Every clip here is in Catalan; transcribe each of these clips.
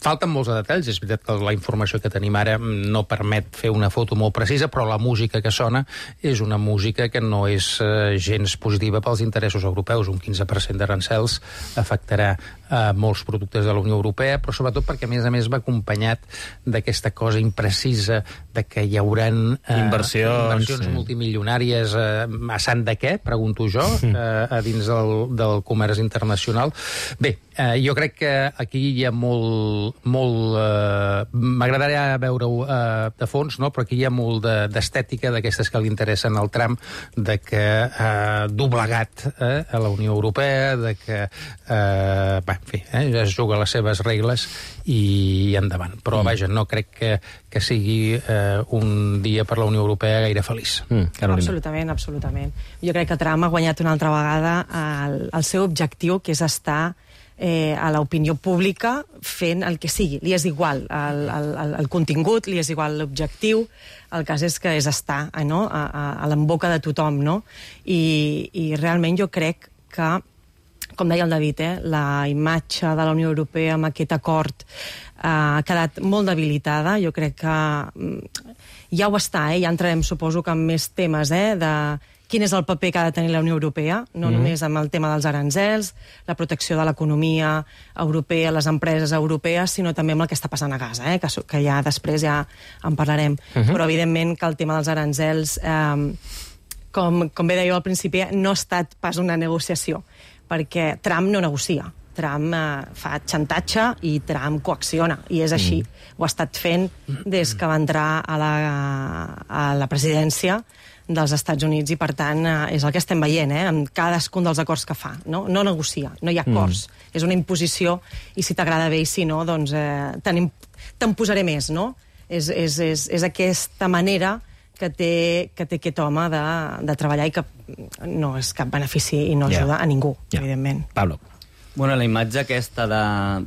Falten molts detalls, és veritat que la informació que tenim ara no permet fer una foto molt precisa, però la música que sona és una música que no és gens positiva pels interessos europeus. Un 15% d'arancels afectarà molts productes de la Unió Europea, però sobretot perquè, a més, va acompanyat d'aquesta cosa imprecisa de que hi haurà inversions multimilionàries a sant de què, pregunto jo, a dins del comerç internacional. Bé, jo crec que aquí hi ha molt m'agradaria veure-ho de fons, no? Però aquí hi ha molt d'estètica d'aquestes que li interessen al Trump, de que doblegat a la Unió Europea, de que en fi, ja es juga les seves regles i endavant. Però vaja, no crec que sigui un dia per la Unió Europea gaire feliç. Absolutament. Jo crec que Trump ha guanyat una altra vegada el seu objectiu, que és estar a l'opinió pública fent el que sigui. Li és igual el contingut, li és igual l'objectiu, el cas és que és estar a l'emboca de tothom, no? I realment jo crec que, com deia el David, la imatge de la Unió Europea amb aquest acord ha quedat molt debilitada. Jo crec que ja ho està, ja entrarem, suposo, que amb més temes de quin és el paper que ha de tenir la Unió Europea, no només amb el tema dels arancels, la protecció de l'economia europea, les empreses europees, sinó també amb el que està passant a Gaza, que ja després ja en parlarem. Però, evidentment, que el tema dels arancels, com bé deia al principi, no ha estat pas una negociació, perquè Trump no negocia. Trump fa xantatge i Trump coacciona, i és així. Ho ha estat fent des que va entrar a la presidència dels Estats Units, i per tant és el que estem veient en cadascun dels acords que fa. No negocia, no hi ha acords. És una imposició, i si t'agrada bé i si no, doncs te'n posaré més, no? És aquesta manera que té aquest home de treballar, i que no és cap benefici i no ajuda a ningú, evidentment. Pablo. Bueno, la imatge aquesta de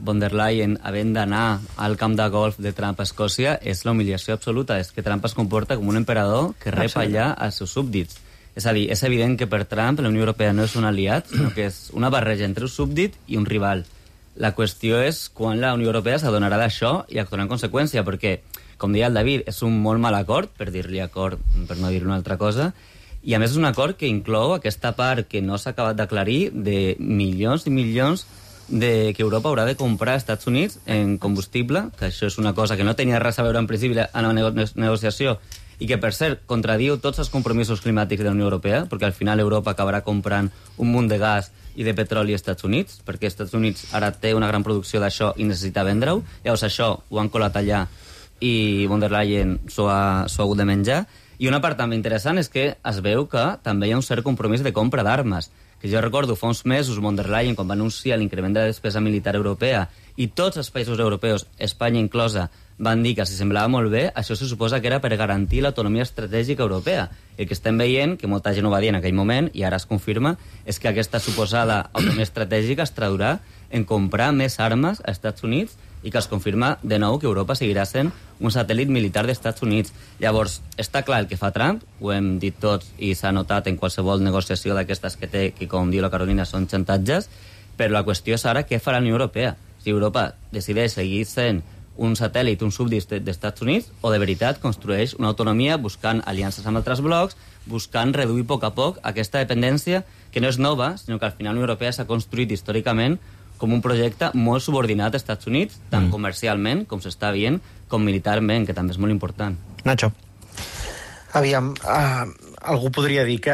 von der Leyen havent d'anar al camp de golf de Trump a Escòcia és la humiliació absoluta. És que Trump es comporta com un emperador que rep allà als seus súbdits. És a dir, és evident que per Trump la Unió Europea no és un aliat, sinó que és una barreja entre un súbdit i un rival. La qüestió és quan la Unió Europea s'adonarà d'això i actuarà en conseqüència, perquè, com deia el David, és un molt mal acord, per dir-li acord, per no dir una altra cosa, i a més és un acord que inclou aquesta part que no s'ha acabat d'aclarir de milions i milions que Europa haurà de comprar als Estats Units en combustible, que això és una cosa que no tenia res a veure en principi en la negociació, i que, per cert, contradiu tots els compromisos climàtics de la Unió Europea, perquè al final Europa acabarà comprant un munt de gas i de petroli als Estats Units, perquè els Estats Units ara té una gran producció d'això i necessita vendre-ho. Llavors això ho han colat allà i von der Leyen s'ho ha hagut de menjar. I una part també interessant és que es veu que també hi ha un cert compromís de compra d'armes, que jo recordo fa uns mesos von der Leyen, quan va anunciar l'increment de la despesa militar europea, i tots els països europeus, Espanya inclosa, van dir que si semblava molt bé, això se suposa que era per garantir l'autonomia estratègica europea. El que estem veient, que molta gent ho va dir en aquell moment, i ara es confirma, és que aquesta suposada autonomia estratègica es traduirà en comprar més armes als Estats Units, i que es confirma de nou que Europa seguirà sent un satèl·lit militar dels Estats Units. Llavors, està clar el que fa Trump, ho hem dit tots i s'ha notat en qualsevol negociació d'aquestes que té, que com diu la Carolina són xantatges, però la qüestió és ara què farà la Unió Europea. Si Europa decideix seguir sent un satèl·lit, un súbdit dels Estats Units, o de veritat construeix una autonomia buscant aliances amb altres blocs, buscant reduir a poc aquesta dependència, que no és nova, sinó que al final la Unió Europea s'ha construït històricament com un projecte molt subordinat als Estats Units, tant comercialment, com s'està veient, com militarment, que també és molt important. Nacho. Aviam, algú podria dir que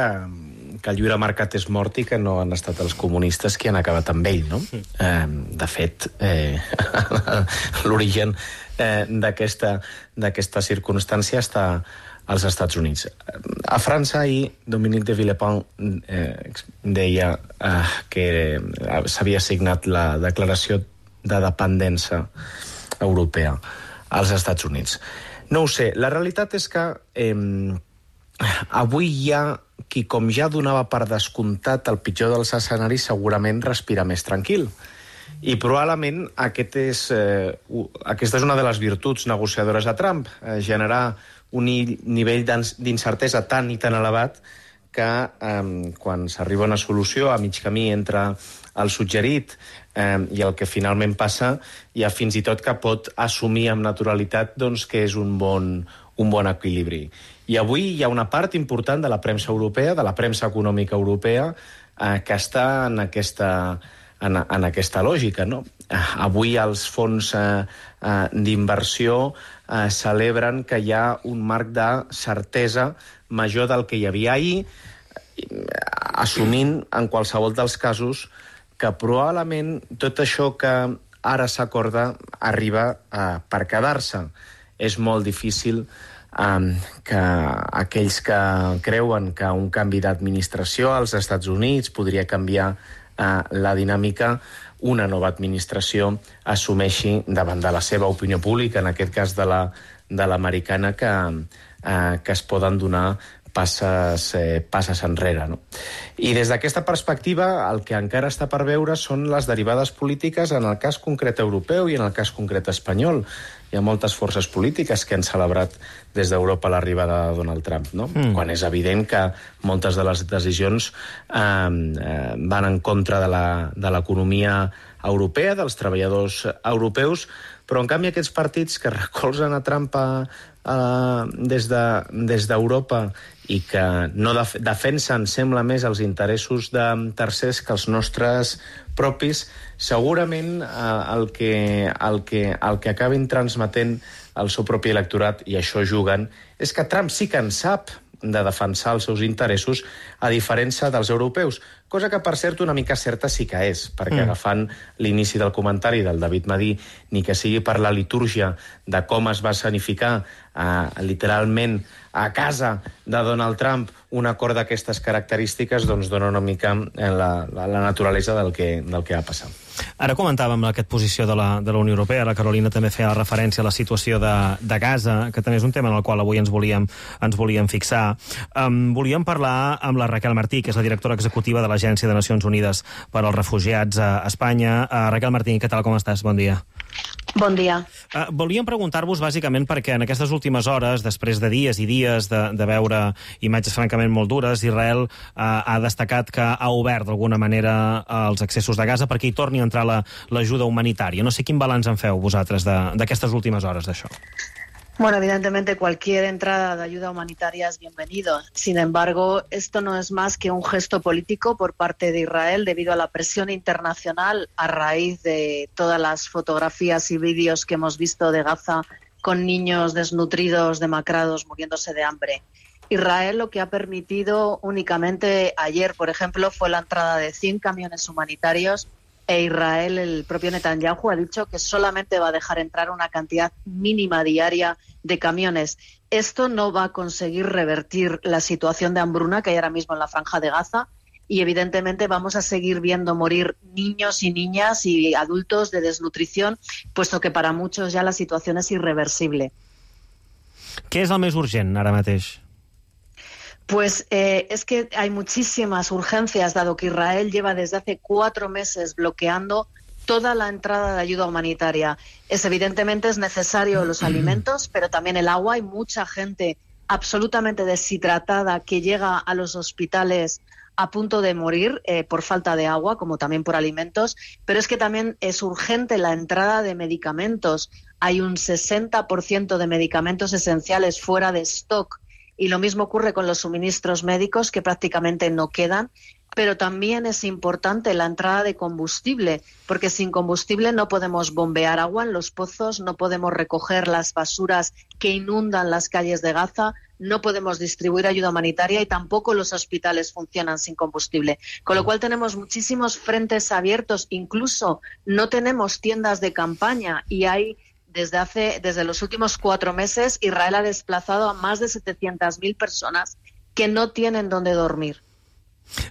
el lliure mercat és mort i que no han estat els comunistes qui han acabat amb ell, no? De fet, l'origen d'aquesta circumstància està als Estats Units. A França, ahir, Dominique de Villepin deia que s'havia signat la declaració de dependència europea als Estats Units. No ho sé, la realitat és que avui hi ha qui, com ja donava per descomptat el pitjor dels escenaris, segurament respira més tranquil. I probablement aquesta és una de les virtuts negociadores de Trump, generar un nivell d'incertesa tan i tan elevat que quan s'arriba a una solució a mig camí entre el suggerit i el que finalment passa, hi ha fins i tot que pot assumir amb naturalitat doncs, que és un bon equilibri. I avui hi ha una part important de la premsa europea, de la premsa econòmica europea, que està en aquesta lògica, no? Avui els fons d'inversió celebren que hi ha un marc de certesa major del que hi havia ahir, assumint en qualsevol dels casos que probablement tot això que ara s'acorda arriba per quedar-se. És molt difícil que aquells que creuen que un canvi d'administració als Estats Units podria canviar la dinàmica, una nova administració assumeixi davant de la seva opinió pública, en aquest cas de l'americana, que es poden donar passes enrere, no? I des d'aquesta perspectiva, el que encara està per veure són les derivades polítiques en el cas concret europeu i en el cas concret espanyol. Hi ha moltes forces polítiques que han celebrat des d'Europa l'arribada de Donald Trump, no? Quan és evident que moltes de les decisions van en contra de l'economia europea, dels treballadors europeus, però en canvi aquests partits que recolzen a Trump des d'Europa i que no defensen, sembla més, els interessos de tercers que els nostres propis, segurament el que acabin transmetent al seu propi electorat, i això juguen, és que Trump sí que en sap de defensar els seus interessos, a diferència dels europeus. Cosa que, per cert, una mica certa sí que és, perquè agafant l'inici del comentari del David Madí, ni que sigui per la litúrgia de com es va escenificar literalment a casa de Donald Trump un acord d'aquestes característiques, doncs dona una mica la naturalesa del que va passar. Ara comentàvem aquesta posició de la Unió Europea, la Carolina també feia referència a la situació de Gaza, que també és un tema en el qual avui ens volíem fixar. Volíem parlar amb la Raquel Martí, que és la directora executiva de l'Agència de Nacions Unides per als Refugiats a Espanya. Raquel Martí, què tal, com estàs? Bon dia. Bon dia. Volíem preguntar-vos bàsicament perquè en aquestes últimes hores, després de dies i dies de veure imatges francament molt dures, Israel ha destacat que ha obert d'alguna manera els accessos de Gaza perquè hi torni a entrar l'ajuda humanitària. No sé quin balanç en feu vosaltres d'aquestes últimes hores d'això. Bueno, evidentemente cualquier entrada de ayuda humanitaria es bienvenido. Sin embargo, esto no es más que un gesto político por parte de Israel debido a la presión internacional a raíz de todas las fotografías y vídeos que hemos visto de Gaza con niños desnutridos, demacrados, muriéndose de hambre. Israel lo que ha permitido únicamente ayer, por ejemplo, fue la entrada de 100 camiones humanitarios. Israel, el propio Netanyahu, ha dicho que solamente va a dejar entrar una cantidad mínima diaria de camiones. Esto no va a conseguir revertir la situación de hambruna que hay ahora mismo en la Franja de Gaza y evidentemente vamos a seguir viendo morir niños y niñas y adultos de desnutrición, puesto que para muchos ya la situación es irreversible. Què és el més urgent ara mateix? Pues es que hay muchísimas urgencias, dado que Israel lleva desde hace 4 meses bloqueando toda la entrada de ayuda humanitaria. Evidentemente es necesario los alimentos, pero también el agua. Hay mucha gente absolutamente deshidratada que llega a los hospitales a punto de morir por falta de agua, como también por alimentos, pero es que también es urgente la entrada de medicamentos. Hay un 60% de medicamentos esenciales fuera de stock. Y lo mismo ocurre con los suministros médicos, que prácticamente no quedan, pero también es importante la entrada de combustible, porque sin combustible no podemos bombear agua en los pozos, no podemos recoger las basuras que inundan las calles de Gaza, no podemos distribuir ayuda humanitaria y tampoco los hospitales funcionan sin combustible. Con lo cual tenemos muchísimos frentes abiertos, incluso no tenemos tiendas de campaña y hay... Desde los últimos 4 meses, Israel ha desplazado a más de 700.000 personas que no tienen dónde dormir.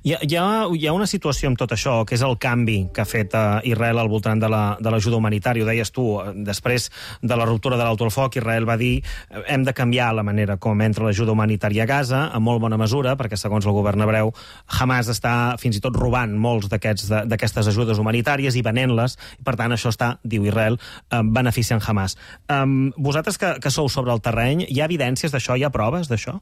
Hi ha una situació amb tot això, que és el canvi que ha fet Israel al voltant de l'ajuda humanitària. Ho deies tu, després de la ruptura de l'alto al foc, Israel va dir hem de canviar la manera com entra l'ajuda humanitària a Gaza, en molt bona mesura, perquè segons el govern hebreu, Hamas està fins i tot robant molts d'aquestes ajudes humanitàries i venent-les, i per tant això està, diu Israel, beneficiant Hamas. Vosaltres que sou sobre el terreny, hi ha evidències d'això, hi ha proves d'això?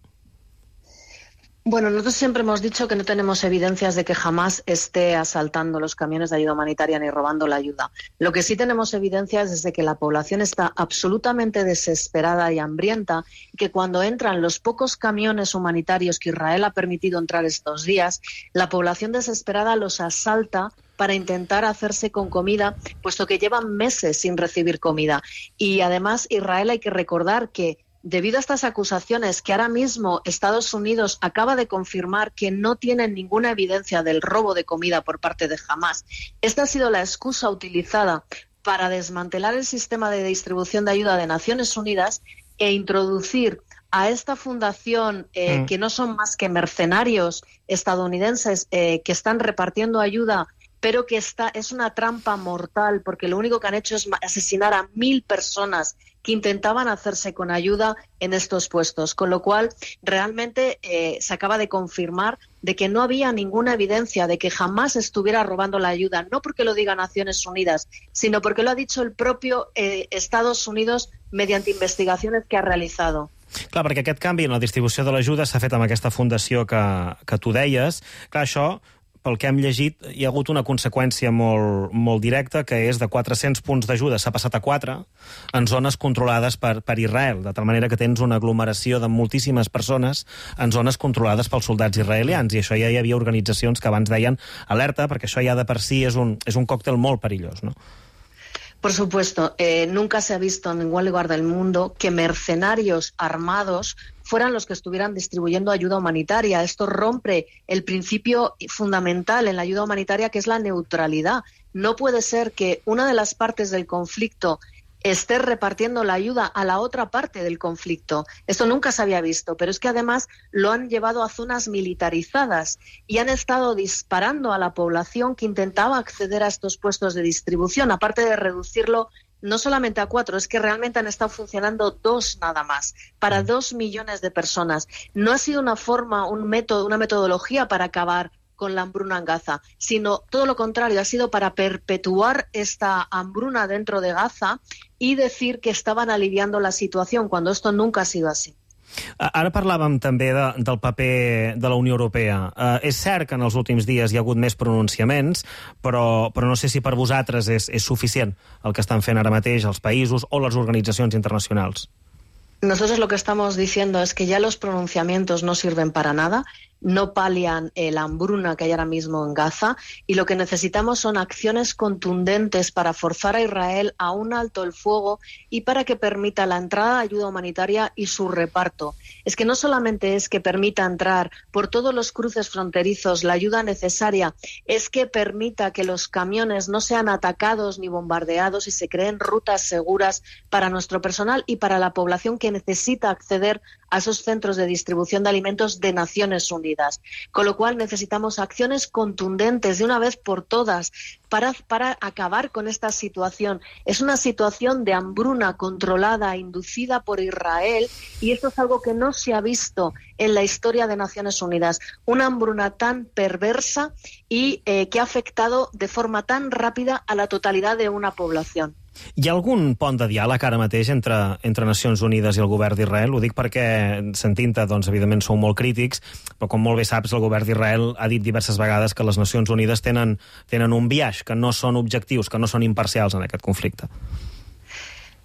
Bueno, nosotros siempre hemos dicho que no tenemos evidencias de que jamás esté asaltando los camiones de ayuda humanitaria ni robando la ayuda. Lo que sí tenemos evidencias es de que la población está absolutamente desesperada y hambrienta y que cuando entran los pocos camiones humanitarios que Israel ha permitido entrar estos días, la población desesperada los asalta para intentar hacerse con comida, puesto que llevan meses sin recibir comida. Y además, Israel, hay que recordar que debido a estas acusaciones que ahora mismo Estados Unidos acaba de confirmar que no tienen ninguna evidencia del robo de comida por parte de Hamás, esta ha sido la excusa utilizada para desmantelar el sistema de distribución de ayuda de Naciones Unidas e introducir a esta fundación, que no son más que mercenarios estadounidenses que están repartiendo ayuda, pero que es una trampa mortal, porque lo único que han hecho es asesinar a 1.000 personas que intentaban hacerse con ayuda en estos puestos. Con lo cual, realmente se acaba de confirmar de que no había ninguna evidencia de que jamás estuviera robando la ayuda, no porque lo diga Naciones Unidas, sino porque lo ha dicho el propio Estados Unidos mediante investigaciones que ha realizado. Clar, perquè aquest canvi en la distribució de l'ajuda s'ha fet amb aquesta fundació que tu deies. Clar, això, pel que hem llegit, hi ha hagut una conseqüència molt directa, que és de 400 punts d'ajuda s'ha passat a 4 en zones controlades per Israel, de tal manera que tens una aglomeració de moltíssimes persones en zones controlades pels soldats israelians, i això ja hi havia organitzacions que abans deien alerta, perquè això ja de per si és un còctel molt perillós, no? Por supuesto, nunca se ha visto en ningún lugar del mundo que mercenarios armados fueran los que estuvieran distribuyendo ayuda humanitaria. Esto rompe el principio fundamental en la ayuda humanitaria, que es la neutralidad. No puede ser que una de las partes del conflicto esté repartiendo la ayuda a la otra parte del conflicto. Esto nunca se había visto, pero es que además lo han llevado a zonas militarizadas y han estado disparando a la población que intentaba acceder a estos puestos de distribución, aparte de reducirlo no solamente a 4, es que realmente han estado funcionando 2 nada más, para 2 millones de personas. No ha sido una forma, un método, una metodología para acabar con la hambruna en Gaza, sino todo lo contrario, ha sido para perpetuar esta hambruna dentro de Gaza y decir que estaban aliviando la situación, cuando esto nunca ha sido así. Ara parlàvem també del paper de la Unió Europea. És cert que en els últims dies hi ha hagut més pronunciaments, però no sé si per vosaltres és suficient el que estan fent ara mateix els països o les organitzacions internacionals. Nosotros lo que estamos diciendo es que ya los pronunciamientos no sirven para nada, no palian la hambruna que hay ahora mismo en Gaza, y lo que necesitamos son acciones contundentes para forzar a Israel a un alto el fuego y para que permita la entrada de ayuda humanitaria y su reparto. Es que no solamente es que permita entrar por todos los cruces fronterizos la ayuda necesaria, es que permita que los camiones no sean atacados ni bombardeados y se creen rutas seguras para nuestro personal y para la población que necesita acceder a esos centros de distribución de alimentos de Naciones Unidas. Con lo cual necesitamos acciones contundentes de una vez por todas para acabar con esta situación. Es una situación de hambruna controlada, inducida por Israel, y esto es algo que no se ha visto en la historia de Naciones Unidas. Una hambruna tan perversa y que ha afectado de forma tan rápida a la totalidad de una población. Hi ha algun pont de diàleg ara mateix entre Nacions Unides i el govern d'Israel? Ho dic perquè, sentint-te, doncs, evidentment sou molt crítics, però com molt bé saps, el govern d'Israel ha dit diverses vegades que les Nacions Unides tenen un biaix, que no són objectius, que no són imparcials en aquest conflicte.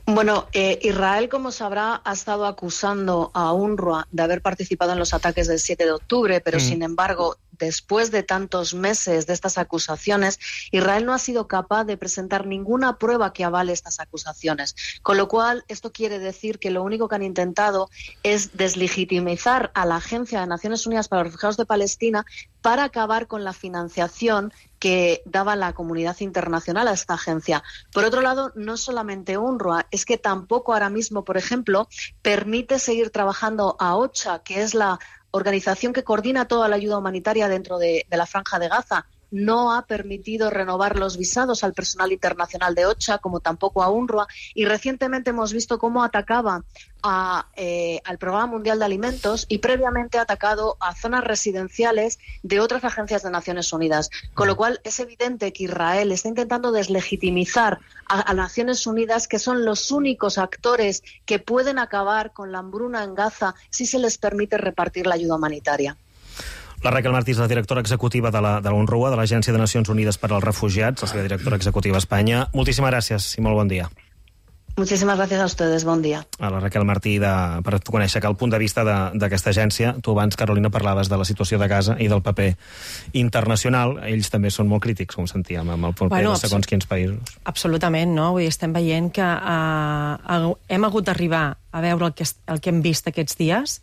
Bueno, Israel, como sabrá, ha estado acusando a UNRWA de haber participado en los ataques del 7 de octubre, pero sin embargo, después de tantos meses de estas acusaciones, Israel no ha sido capaz de presentar ninguna prueba que avale estas acusaciones. Con lo cual, esto quiere decir que lo único que han intentado es deslegitimizar a la Agencia de Naciones Unidas para los Refugiados de Palestina para acabar con la financiación que daba la comunidad internacional a esta agencia. Por otro lado, no solamente UNRWA, es que tampoco ahora mismo, por ejemplo, permite seguir trabajando a OCHA, que es la organización que coordina toda la ayuda humanitaria dentro de la Franja de Gaza. No ha permitido renovar los visados al personal internacional de OCHA, como tampoco a UNRWA, y recientemente hemos visto cómo atacaba al Programa Mundial de Alimentos y previamente ha atacado a zonas residenciales de otras agencias de Naciones Unidas. Con lo cual es evidente que Israel está intentando deslegitimizar a Naciones Unidas, que son los únicos actores que pueden acabar con la hambruna en Gaza si se les permite repartir la ayuda humanitaria. La Raquel Martí és la directora executiva de la UNRWA, de l'Agència de Nacions Unides per als Refugiats, la seva directora executiva a Espanya. Moltíssimes gràcies i molt bon dia. Muchísimas gracias a ustedes, bon dia. A la Raquel Martí, per conèixer que el punt de vista d'aquesta agència, tu abans, Carolina, parlaves de la situació de Gaza i del paper internacional. Ells també són molt crítics, com sentíem, amb el paper de segons quins països. Absolutament, no? Vull dir, estem veient que hem hagut d'arribar a veure el que hem vist aquests dies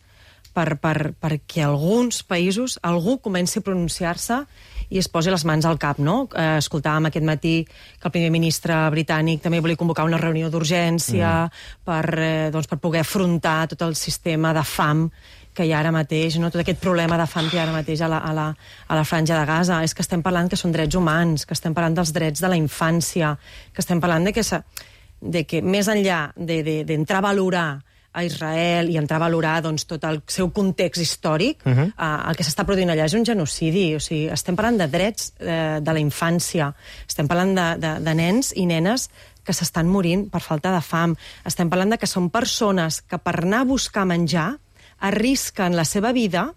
perquè alguns països, algú comenci a pronunciar-se i es posi les mans al cap, no? Escoltàvem aquest matí que el primer ministre britànic també volia convocar una reunió d'urgència per poder afrontar tot el sistema de fam que hi ha ara mateix, no? Tot aquest problema de fam que hi ha ara mateix a la franja de Gaza. És que estem parlant que són drets humans, que estem parlant dels drets de la infància, que estem parlant de que més enllà d'entrar a valorar a Israel i entrar a valorar tot el seu context històric, el que s'està produint allà és un genocidi. O sigui, estem parlant de drets de la infància, estem parlant de nens i nenes que s'estan morint per falta de fam. Estem parlant de que són persones que per anar a buscar menjar arrisquen la seva vida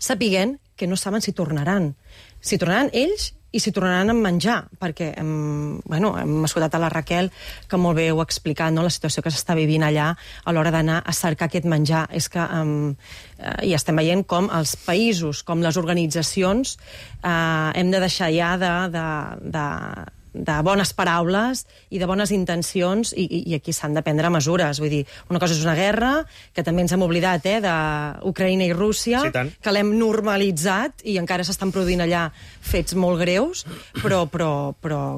sapiguent que no saben si tornaran. Si tornaran ells i si tornaran a menjar, perquè hem escoltat a la Raquel, que molt bé ho ha explicat, no? La situació que s'està vivint allà a l'hora d'anar a cercar aquest menjar. És que i estem veient com els països, com les organitzacions, hem de deixar ja de bones paraules i de bones intencions i aquí s'han de prendre mesures. Vull dir, una cosa és una guerra, que també ens hem oblidat d'Ucraïna i Rússia, sí, que l'hem normalitzat i encara s'estan produint allà fets molt greus, però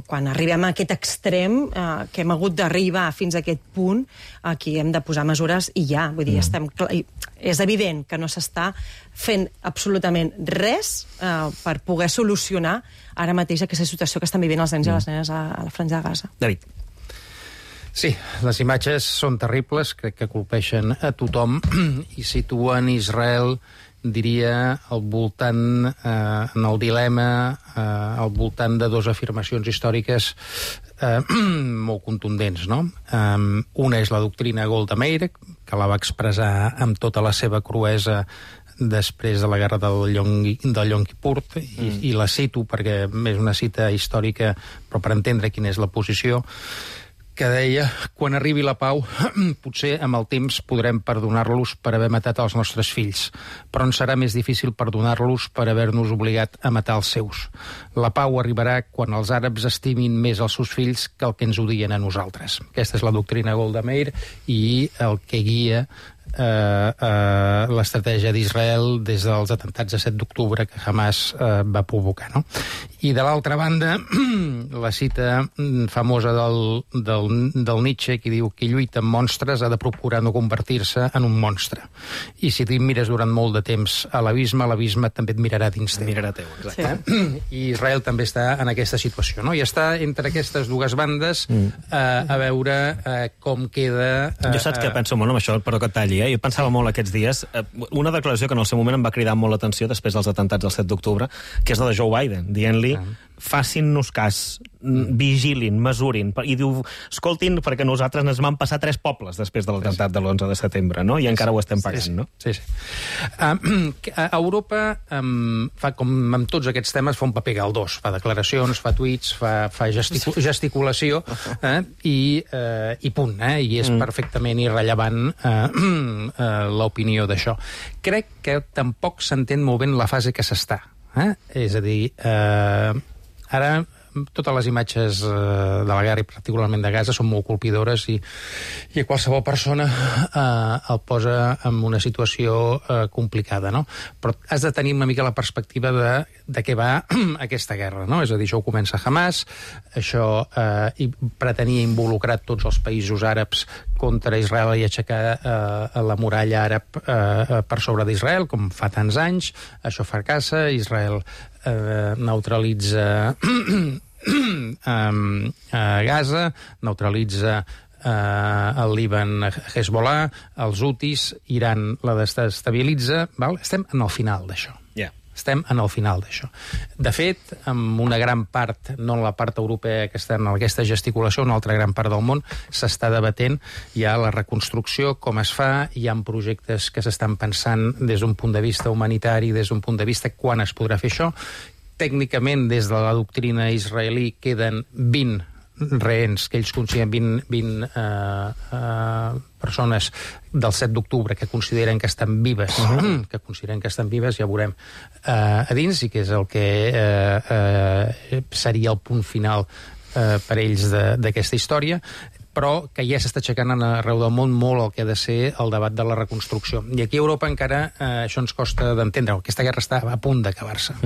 quan arribem a aquest extrem, que hem hagut d'arribar fins a aquest punt, aquí hem de posar mesures i ja. Vull dir, és evident que no s'està fent absolutament res per poder solucionar ara mateix aquesta situació que estan vivint els nens i les nenes a la franja de Gaza. David. Sí, les imatges són terribles, crec que colpeixen a tothom i situen Israel, diria, al voltant, en el dilema, al voltant de dues afirmacions històriques molt contundents, no? Una és la doctrina Golda Meir, que la va expressar amb tota la seva cruesa després de la guerra del Yom Kippur, i la cito perquè és una cita històrica, però per entendre quina és la posició, que deia: quan arribi la pau, potser amb el temps podrem perdonar-los per haver matat els nostres fills, però ens serà més difícil perdonar-los per haver-nos obligat a matar els seus. La pau arribarà quan els àrabs estimin més els seus fills que el que ens odien a nosaltres. Aquesta és la doctrina Golda Meir i el que guia l'estratègia d'Israel des dels atemptats de 7 d'octubre que Hamas va provocar, no? I de l'altra banda, la cita famosa del Nietzsche, que diu que lluita amb monstres ha de procurar no convertir-se en un monstre. I si tu mires durant molt de temps a l'abisme també et mirarà dins teu. Mirarà teu, exacte. Sí. I Israel també està en aquesta situació, no? I està entre aquestes dues bandes a veure com queda... Jo saps que penso molt amb això, però que et talli, Jo pensava molt aquests dies, una declaració que en el seu moment em va cridar molt l'atenció després dels atemptats del 7 d'octubre, que és la de Joe Biden, dient-li facin-nos cas, vigilin, mesurin, i diu, escoltin, perquè nosaltres ens vam passar 3 pobles després de l'atemptat de l'11 de setembre, no? I encara ho estem pagant, no? Sí. A Europa, com amb tots aquests temes, fa un paper galdós, fa declaracions, fa tuits, fa gesticulació, i punt, i és perfectament irrellevant l'opinió d'això. Crec que tampoc s'entén molt ben la fase que s'està. És a dir, ara totes les imatges de la guerra i particularment de Gaza són molt colpidores i qualsevol persona el posa en una situació complicada, no? Però has de tenir una mica la perspectiva de què va aquesta guerra, no? És a dir, això ho comença Hamas, això pretenia involucrar tots els països àrabs contra Israel i aixecar la muralla àrab per sobre d'Israel, com fa tants anys. Això fracassa, Israel neutralitza Gaza, neutralitza el Líban Hezbollah, els Houthis, Iran la desestabilitza, val? Estem en el final d'això. Estem en el final d'això. De fet, amb una gran part, no en la part europea que està en aquesta gesticulació, una altra gran part del món, s'està debatent ja la reconstrucció, com es fa, hi ha projectes que s'estan pensant des d'un punt de vista humanitari, des d'un punt de vista quan es podrà fer això. Tècnicament, des de la doctrina israelí, queden 20 rehens, que ells consideren 20 persones del 7 d'octubre que consideren que estan vives, ja veurem a dins, i que és el que seria el punt final per ells d'aquesta història, però que ja s'està aixecant arreu del món molt el que ha de ser el debat de la reconstrucció. I aquí a Europa encara això ens costa d'entendre. Aquesta guerra està a punt d'acabar-se.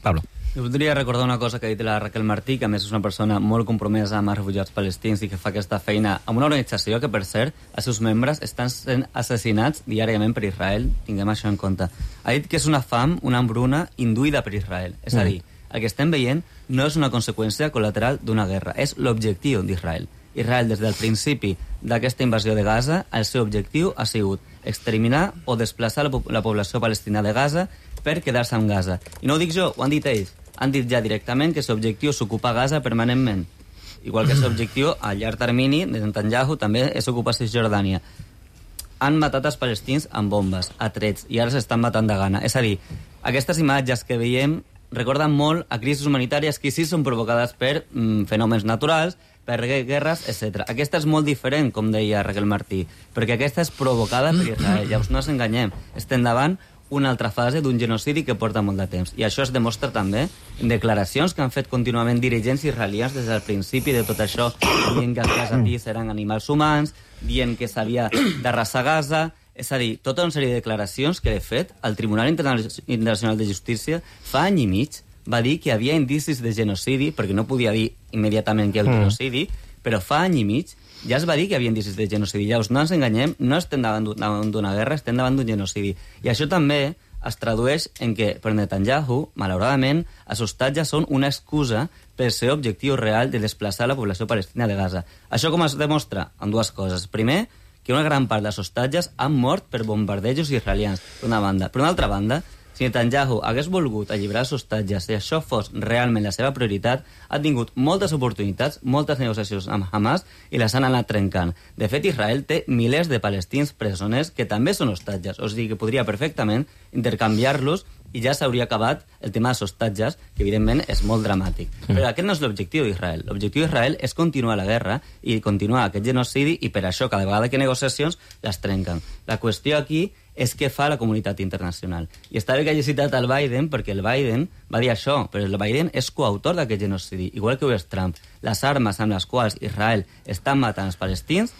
Pablo. Jo voldria recordar una cosa que ha dit la Raquel Martí, que a més és una persona molt compromesa amb els refugiats palestins i que fa aquesta feina amb una organització que, per cert, els seus membres estan sent assassinats diàriament per Israel. Tinguem això en compte. Ha dit que és una fam, una hambruna induïda per Israel. És a dir, el que estem veient no és una conseqüència col·lateral d'una guerra, és l'objectiu d'Israel. Israel, des del principi d'aquesta invasió de Gaza, el seu objectiu ha sigut exterminar o desplaçar la població palestina de Gaza per quedar-se amb Gaza. I no ho dic jo, ho han dit ells. Han dit ja directament que l'objectiu és ocupar Gaza permanentment. Igual que l'objectiu a llarg termini de Netanyahu també és ocupar Cisjordània. Han matat els palestins amb bombes, a trets, i ara s'estan matant de gana. És a dir, aquestes imatges que veiem recorden molt a crisis humanitàries que sí són provocades per fenòmens naturals, per guerres, etc. Aquesta és molt diferent, com deia Raquel Martí, perquè aquesta és provocada per Israel. Llavors no ens enganyem, estem davant una altra fase d'un genocidi que porta molt de temps. I això es demostra també en declaracions que han fet contínuament dirigents israelians des del principi de tot això, dient que els gazatís eren animals humans, dient que s'havia d'arrasar Gaza. És a dir, tota una sèrie de declaracions que, de fet, el Tribunal Internacional de Justícia fa any i mig va dir que hi havia indicis de genocidi, perquè no podia dir immediatament que hi ha un genocidi, però fa any i mig ja es va dir que hi havia indicis de genocidi. Llavors, no ens enganyem, no estem davant d'una guerra, estem davant d'un genocidi. I això també es tradueix en que, per Netanyahu, malauradament, els hostatges són una excusa pel seu objectiu real de desplaçar la població palestina de Gaza. Això com es demostra? En dues coses. Primer, que una gran part dels hostatges han mort per bombardejos israelians, per una banda. Per una altra banda, si Netanyahu hagués volgut alliberar els hostatges, si això fos realment la seva prioritat, ha tingut moltes oportunitats, moltes negociacions amb Hamas i les han anat trencant. De fet, Israel té milers de palestins presoners que també són hostatges, o sigui que podria perfectament intercanviar-los i ja s'hauria acabat el tema dels hostatges, que evidentment és molt dramàtic. Però aquest no és l'objectiu d'Israel. L'objectiu d'Israel és continuar la guerra i continuar aquest genocidi, i per això cada vegada que hi ha negociacions les trenquen. La qüestió aquí és què fa la comunitat internacional. I està bé que hagi citat el Biden, perquè el Biden va dir això, però el Biden és coautor d'aquest genocidi, igual que ho és Trump. Les armes amb les quals Israel està matant els palestins,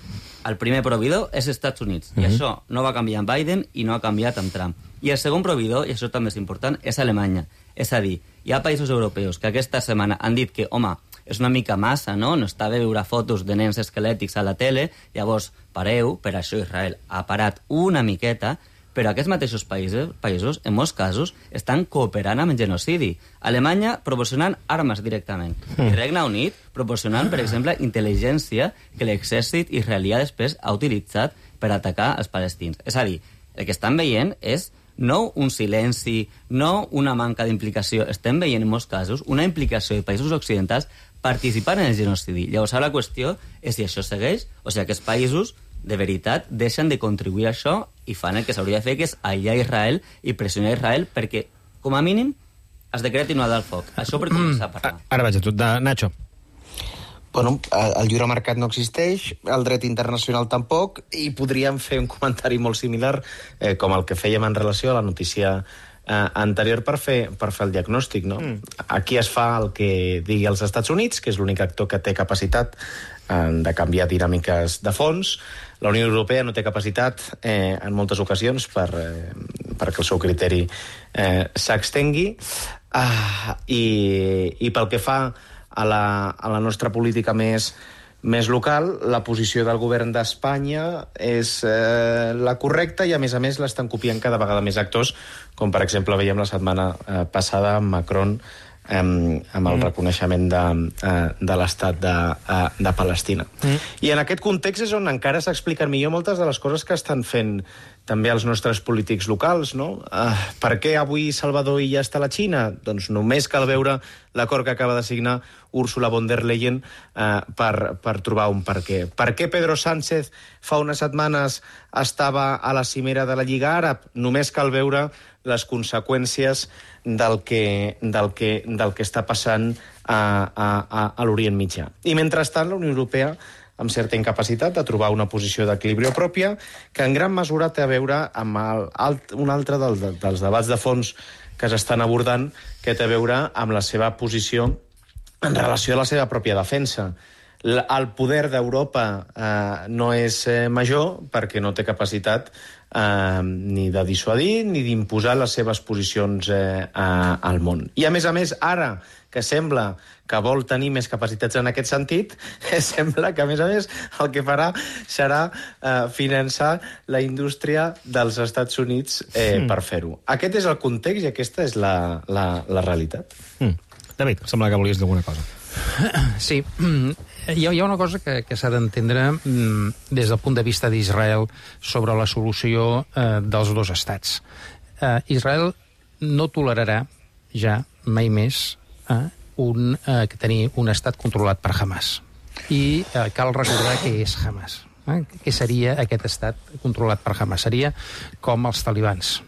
el primer proveïdor és Estats Units. I això no va canviar amb Biden i no ha canviat amb Trump. I el segon proveïdor, i això també és important, és Alemanya. És a dir, hi ha països europeus que aquesta setmana han dit que, home, és una mica massa, no? No està bé veure fotos de nens esquelètics a la tele, llavors pareu, per això Israel ha parat una miqueta, però aquests mateixos països, en molts casos, estan cooperant amb el genocidi. Alemanya proporcionant armes directament. I Regne Unit proporcionant, per exemple, intel·ligència que l'exèrcit israelià després ha utilitzat per atacar els palestins. És a dir, el que estan veient és no un silenci, no una manca d'implicació. Estem veient, en molts casos, una implicació de països occidentals participant en el genocidi. Llavors, ara la qüestió és si això segueix o si aquests països de veritat deixen de contribuir a això i fan el que s'hauria de fer, que és aïllar Israel i pressionar Israel perquè, com a mínim, es decreti una del foc. Això per començar a parlar. Ara vaig a tu, Nacho. Bueno, el lliure mercat no existeix, el dret internacional tampoc, i podríem fer un comentari molt similar, com el que fèiem en relació a la notícia anterior per fer el diagnòstic, no? Aquí es fa el que digui els Estats Units, que és l'únic actor que té capacitat de canviar dinàmiques de fons. La Unió Europea no té capacitat en moltes ocasions perquè el seu criteri s'extengui, i pel que fa a la nostra política més local, la posició del govern d'Espanya és la correcta, i a més l'estan copiant cada vegada més actors, com per exemple veiem la setmana passada amb Macron amb el reconeixement de l'estat de Palestina. I en aquest context és on encara s'expliquen millor moltes de les coses que estan fent també als nostres polítics locals, no? Per què avui Salvador Illa està a la Xina? Doncs només cal veure l'acord que acaba de signar Ursula von der Leyen per trobar un per què. Per què Pedro Sánchez fa unes setmanes estava a la cimera de la Lliga Àrab? Només cal veure les conseqüències del que està passant a l'Orient Mitjà. I mentrestant, la Unió Europea, amb certa incapacitat de trobar una posició d'equilibri pròpia, que en gran mesura té a veure amb un altre dels debats de fons que s'estan abordant, que té a veure amb la seva posició en relació a la seva pròpia defensa. El poder d'Europa no és major perquè no té capacitat ni de dissuadir ni d'imposar les seves posicions al món. I a més, ara que sembla que vol tenir més capacitats en aquest sentit, sembla que, a més, el que farà serà finançar la indústria dels Estats Units per fer-ho. Aquest és el context i aquesta és la realitat. David, sembla que volies dir alguna cosa. Sí, hi ha una cosa que s'ha d'entendre des del punt de vista d'Israel sobre la solució dels dos estats. Israel no tolerarà ja mai més tenir un estat controlat per Hamas. I cal recordar què és Hamas. Què seria aquest estat controlat per Hamas? Seria com els talibans.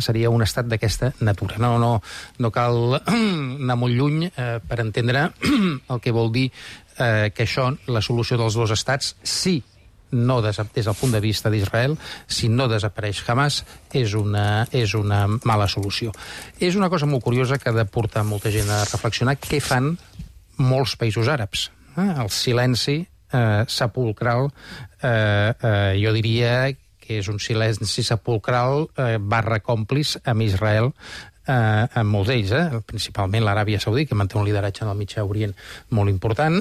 Seria un estat d'aquesta natura. No cal anar molt lluny per entendre el que vol dir que això, la solució dels dos estats, no des del punt de vista d'Israel, si no desapareix Hamas, és una mala solució. És una cosa molt curiosa que ha de portar molta gent a reflexionar què fan molts països àrabs. El silenci sepulcral, jo diria que és un silenci sepulcral / còmpliç amb Israel, amb molts d'ells, principalment l'Aràbia Saudí, que manté un lideratge en el Mitjà Orient molt important,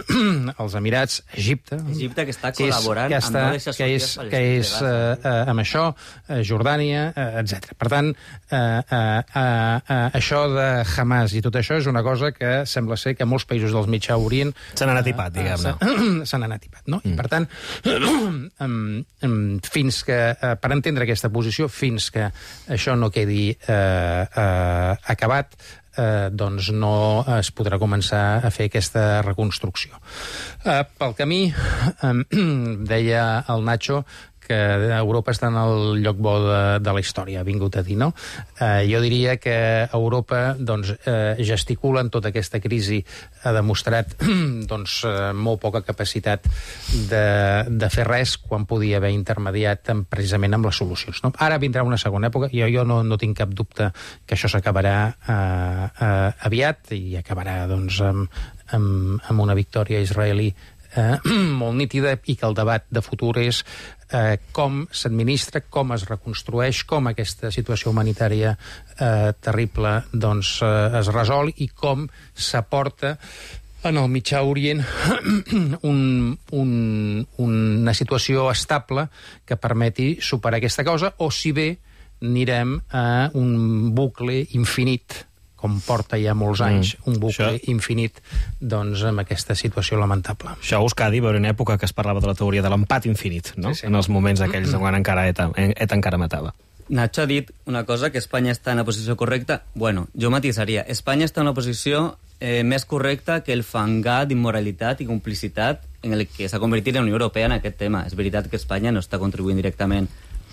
els Emirats, Egipte... Egipte, que està col·laborant amb no deixar sortir els que és amb això, Jordània, etc. Per tant, això de Hamas i tot això és una cosa que sembla ser que molts països del Mitjà Orient... Se n'han atipat, diguem-ne. Se n'han atipat, no? I, per tant, fins que, per entendre aquesta posició, fins que això no quedi acabat, doncs no es podrà començar a fer aquesta reconstrucció. Pel camí, deia el Nacho, que Europa està en el lloc bo de la història, ha vingut a dir, no? Jo diria que Europa gesticula en tota aquesta crisi, ha demostrat molt poca capacitat de fer res quan podia haver intermediat precisament amb les solucions. Ara vindrà una segona època, i jo no tinc cap dubte que això s'acabarà aviat i acabarà amb una victòria israelí molt nítida, i que el debat de futur és com s'administra, com es reconstrueix, com aquesta situació humanitària terrible es resol i com s'aporta en el Mitjà Orient una situació estable que permeti superar aquesta cosa, o si bé anirem a un bucle infinit, com porta ja molts anys, un bucle infinit, amb aquesta situació lamentable. Això a Euskadi va haver una època que es parlava de la teoria de l'empat infinit, no? Sí. En els moments aquells quan encara ETA encara matava. Nacho ha dit una cosa, que Espanya està en la posició correcta. Bueno, jo matisaria. Espanya està en una posició més correcta que el fangar d'immoralitat i complicitat en el que s'ha convertit la Unió Europea en aquest tema. És veritat que Espanya no està contribuint directament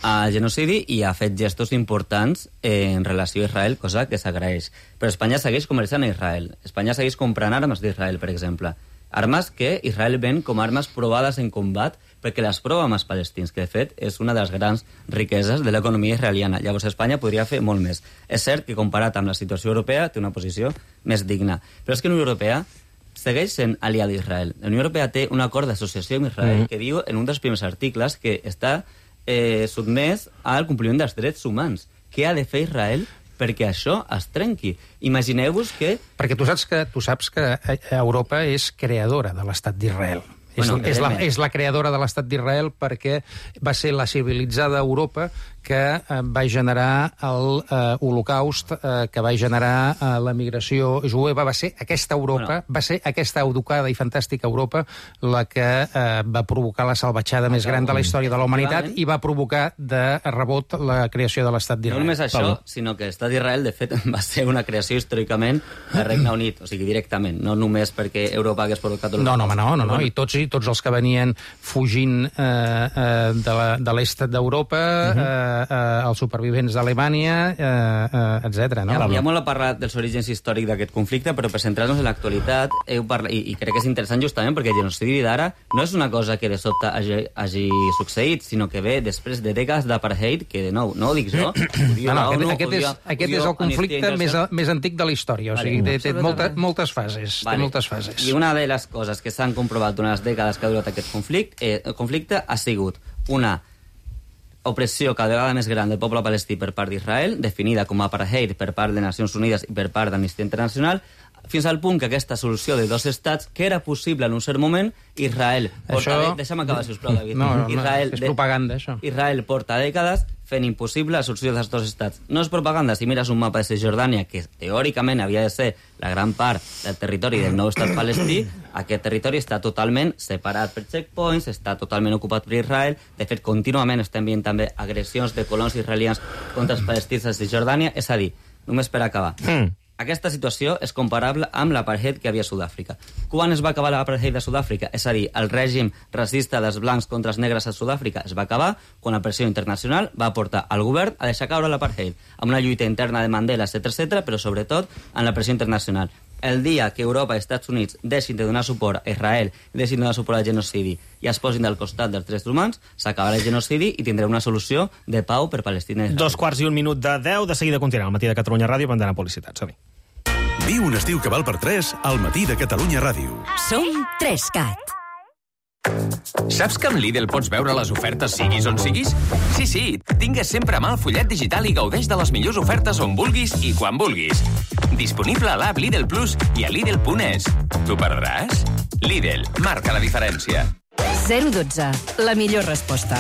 al genocidi i ha fet gestos importants en relació a Israel, cosa que s'agraeix. Però Espanya segueix comerciant a Israel. Espanya segueix comprant armes d'Israel, per exemple. Armes que Israel ven com armes provades en combat, perquè les prova amb els palestins, que de fet és una de les grans riqueses de l'economia israeliana. Llavors Espanya podria fer molt més. És cert que comparat amb la situació europea té una posició més digna. Però és que la Unió Europea segueix sent aliada d'Israel. La Unió Europea té un acord d'associació amb Israel que diu en un dels primers articles que està sotmès al compliment dels drets humans. Què ha de fer Israel perquè això es trenqui? Imagineu-vos que... Perquè tu saps que Europa és creadora de l'estat d'Israel. És la creadora de l'estat d'Israel perquè va ser la civilitzada Europa que va generar l'Holocaust, que va generar l'emigració jueva. Va ser aquesta Europa, va ser aquesta educada i fantàstica Europa la que va provocar la salvatjada més gran de la història de la humanitat i va provocar de rebot la creació de l'Estat d'Israel. No només això, sinó que l'Estat d'Israel, de fet, va ser una creació històricament del Regne Unit, o sigui, directament, no només perquè Europa hagués provocat... No, i tots els que venien fugint de l'est d'Europa, els supervivents d'Alemanya, etc. No? Ja molt a parlar dels orígens històrics d'aquest conflicte, però per centrar-nos en l'actualitat, i crec que és interessant justament perquè el genocidi d'ara no és una cosa que de sobte hagi succeït, sinó que ve després de dècades d'apartheid, que de nou, no ho dic jo, aquest és el conflicte més antic de la història, o sigui, té moltes fases. I una de les coses que s'han comprovat durant les dècades que ha durat aquest conflicte ha sigut una opressió cada vegada més gran del poble palestí per part d'Israel, definida com a apartheid per part de Nacions Unides i per part d'Amnistia Internacional, fins al punt que aquesta solució de dos estats, que era possible en un cert moment, Israel... Deixa'm acabar, sisplau, David. No, és propaganda, això. Israel porta dècades fent impossible la solució dels dos estats. No és propaganda, si mires un mapa de Cisjordània, que teòricament havia de ser la gran part del territori del nou estat palestí, aquest territori està totalment separat per checkpoints, està totalment ocupat per Israel, de fet, contínuament estem veient també agressions de colons israelians contra els palestins de Cisjordània, és a dir, només per acabar. Aquesta situació és comparable amb l'apartheid que havia a Sud-àfrica. Quan es va acabar l'apartheid a Sud-àfrica? És a dir, el règim racista dels blancs contra els negres a Sud-àfrica es va acabar quan la pressió internacional va portar al govern a deixar caure l'apartheid, amb una lluita interna de Mandela, etc., però sobretot amb la pressió internacional. El dia que Europa i Estats Units deixin de donar suport a Israel, deixin de donar suport al genocidi i es posin del costat dels drets humans, s'acabarà el genocidi i tindrem una solució de pau per Palestina i Israel. 2:01 de 10, de seguida continuarà al Matí de Catalunya Ràdio, pendent a publicitat. Som-hi. Viu un estiu que val per 3 al Matí de Catalunya Ràdio. Som 3CAT. Saps que amb Lidl pots veure les ofertes siguis on siguis? Sí, tingues sempre a mà el fullet digital i gaudeix de les millors ofertes on vulguis i quan vulguis. Disponible a l'app Lidl Plus i a Lidl.es. T'ho perdràs? Lidl, marca la diferència. 012, la millor resposta.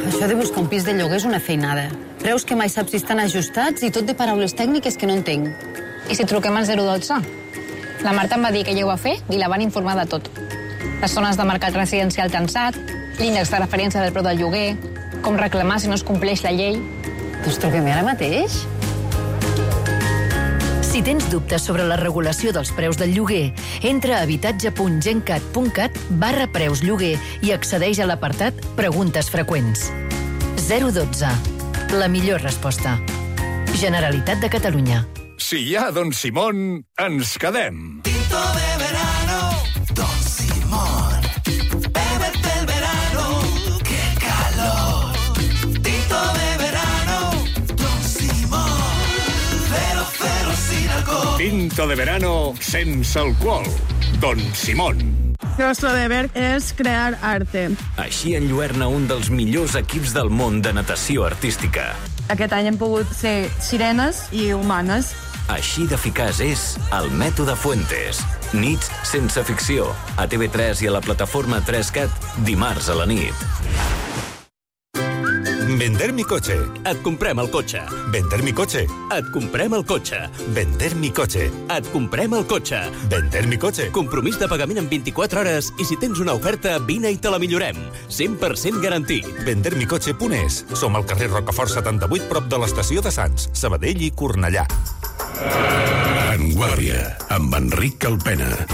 Això de buscar un pis de lloguer és una feinada. Preus que mai saps si estan ajustats i tot de paraules tècniques que no entenc. I si truquem al 012? La Marta em va dir que ja ho va fer i la van informar de tot. Les zones de mercat residencial tensat, l'índex de referència del preu del lloguer, com reclamar si no es compleix la llei... Doncs truquem ara mateix. Si tens dubtes sobre la regulació dels preus del lloguer, entra a habitatge.gencat.cat/preus lloguer i accedeix a l'apartat Preguntes freqüents. 012. La millor resposta. Generalitat de Catalunya. Si hi ha Don Simón, ens quedem. Tinto de verano, Don Simón. Bébete el verano, qué calor. Tinto de verano, Don Simón. 0,0 sin alcohol. Tinto de verano sense alcohol. Don Simón. Nuestro deber és crear arte. Així enlluerna un dels millors equips del món de natació artística. Aquest any hem pogut ser sirenes i humanes. Així d'eficaç és el mètode Fuentes. Nits sense ficció. A TV3 i a la plataforma 3CAT, dimarts a la nit. Vender mi coche. Et comprem el cotxe. Vender mi coche. Et comprem el cotxe. Vender mi coche. Et comprem el cotxe. Vender mi coche. Compromís de pagament en 24 hores i si tens una oferta, vine i te la millorem. 100% garantit. Vendermicoche.es. Som al carrer Rocafort 78, prop de l'estació de Sants, Sabadell i Cornellà. En Guàrdia, amb Enric Calpena.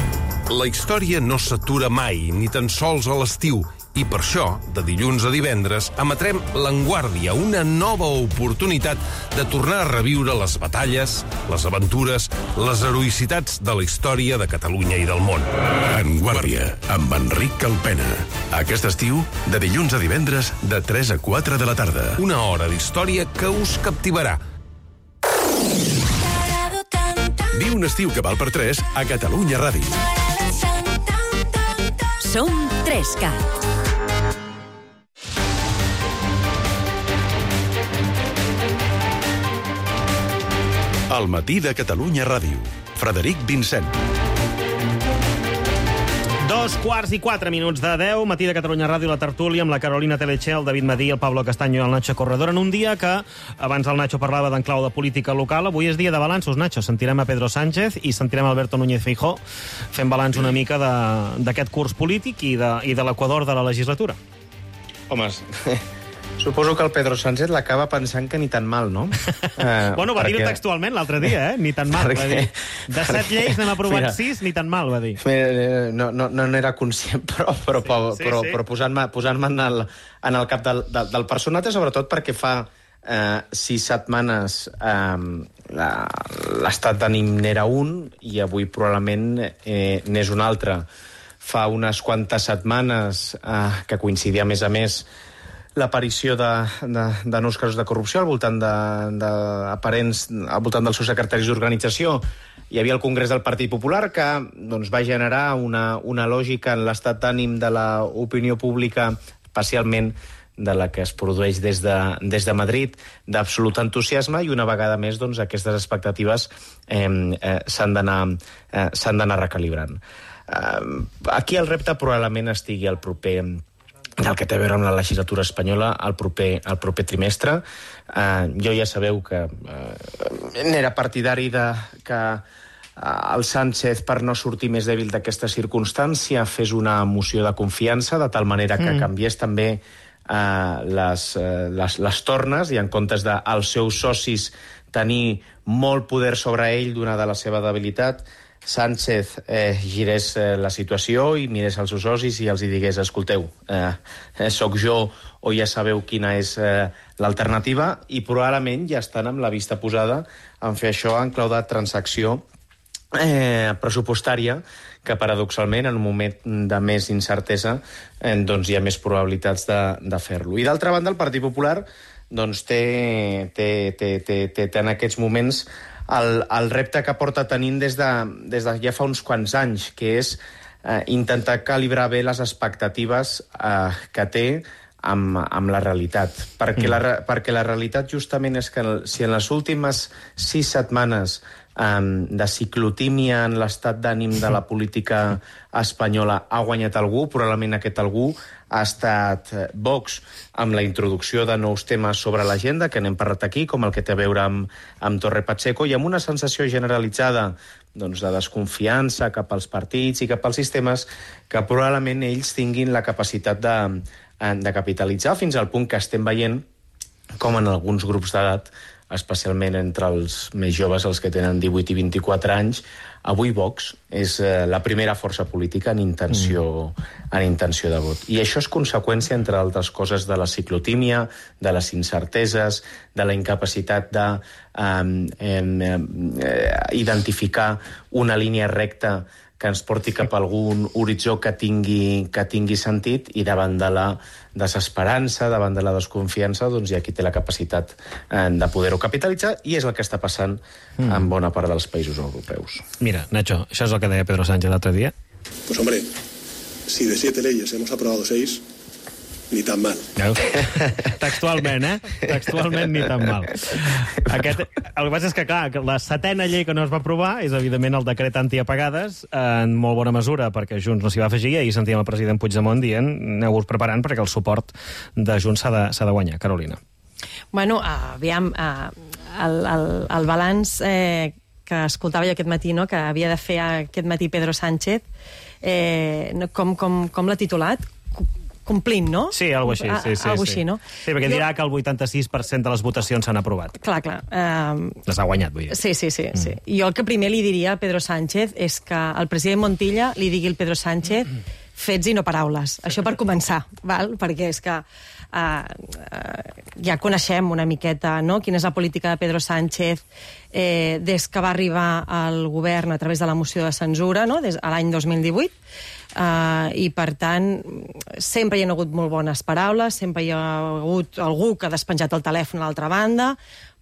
La història no s'atura mai, ni tan sols a l'estiu. I per això, de dilluns a divendres, emetrem l'Enguàrdia, una nova oportunitat de tornar a reviure les batalles, les aventures, les heroïcitats de la història de Catalunya i del món. Enguàrdia, amb Enric Calpena. Aquest estiu, de dilluns a divendres, de 3 a 4 de la tarda. Una hora d'història que us captivarà. Viu un estiu que val per 3 a Catalunya Ràdio. Som 3CAT. El matí de Catalunya Ràdio. Frederic Vincent. 2:04 de 10, matí de Catalunya Ràdio, la tertúlia amb la Carolina Teleche, el David Madí, el Pablo Castaño i el Nacho Corredor, en un dia que, abans el Nacho parlava d'en clau de política local, avui és dia de balanços, Nacho. Sentirem a Pedro Sánchez i sentirem a Alberto Núñez Feijóo fent balanç una mica d'aquest curs polític i de l'equador de la legislatura. Home, suposo que el Pedro Sánchez l'acaba pensant que ni tan mal, no? Bueno, va dir-ho textualment l'altre dia, ni tan mal, va dir. De 7 lleis n'hem aprovat 6, ni tan mal, va dir. No n'era conscient, però posant-me en el cap del personatge, sobretot perquè fa 6 setmanes l'estat d'ànim n'era un i avui probablement n'és un altre. Fa unes quantes setmanes que coincidia, a més, l'aparició de nous casos de corrupció al voltant dels seus secretaris d'organització. Hi havia el Congrés del Partit Popular que va generar una lògica en l'estat d'ànim de l'opinió pública, especialment de la que es produeix des de Madrid, d'absolut entusiasme, i una vegada més aquestes expectatives s'han d'anar recalibrant. Aquí el repte probablement estigui al proper, del que té a veure amb la legislatura espanyola, al proper trimestre. Jo ja sabeu que n'era partidari que el Sánchez, per no sortir més dèbil d'aquesta circumstància, fes una moció de confiança, de tal manera que canviés també les tornes, i en comptes dels seus socis tenir molt poder sobre ell, donada la seva debilitat, Sánchez girés la situació i mirés als seus socis i els digués: escolteu, sóc jo o ja sabeu quina és l'alternativa, i probablement ja estan amb la vista posada en fer això en clau de transacció pressupostària, que paradoxalment en un moment de més incertesa hi ha més probabilitats de fer-lo. I d'altra banda, el Partit Popular té en aquests moments el repte que porta tenint des de ja fa uns quants anys, que és intentar calibrar bé les expectatives que té amb la realitat. Perquè la realitat justament és que si en les últimes 6 setmanes de ciclotímia en l'estat d'ànim de la política espanyola ha guanyat algú, probablement aquest algú ha estat Vox, amb la introducció de nous temes sobre l'agenda, que n'hem parlat aquí, com el que té a veure amb Torre Pacheco, i amb una sensació generalitzada de desconfiança cap als partits i cap als sistemes, que probablement ells tinguin la capacitat de capitalitzar, fins al punt que estem veient com en alguns grups d'edat, especialment entre els més joves, els que tenen 18 i 24 anys, avui Vox és la primera força política en intenció de vot. I això és conseqüència, entre altres coses, de la ciclotímia, de les incerteses, de la incapacitat d'identificar una línia recta que ens porti cap a algun horitzó que tingui sentit, i davant de la desesperança, davant de la desconfiança, hi ha qui té la capacitat de poder-ho capitalitzar, i és el que està passant en bona part dels països europeus. Mira, Nacho, això és el que deia Pedro Sánchez l'altre dia. Pues hombre, si de 7 leyes hemos aprobado 6, ni tan mal. Textualment, Textualment, ni tan mal. El que passa és que, clar, la 7ª llei que no es va aprovar és, evidentment, el decret antiapagades, en molt bona mesura, perquè Junts no s'hi va afegir, i ahir sentíem el president Puigdemont dient: aneu-vos preparant perquè el suport de Junts s'ha de guanyar. Carolina. Bueno, aviam, el balanç que escoltava jo aquest matí, que havia de fer aquest matí Pedro Sánchez, com l'ha titulat? Complint, no? Sí, alguna cosa així. Alguna així, no? Sí, perquè dirà que el 86% de les votacions s'han aprovat. Clar. Les ha guanyat, vull dir. Sí. Jo el que primer li diria a Pedro Sánchez és que el president Montilla li digui al Pedro Sánchez fets i no paraules. Això per començar, val? Perquè és que ja coneixem una miqueta, no?, quina és la política de Pedro Sánchez des que va arribar al govern a través de la moció de censura, no?, des de l'any 2018, i per tant sempre hi ha hagut molt bones paraules, sempre hi ha hagut algú que ha despenjat el telèfon a l'altra banda,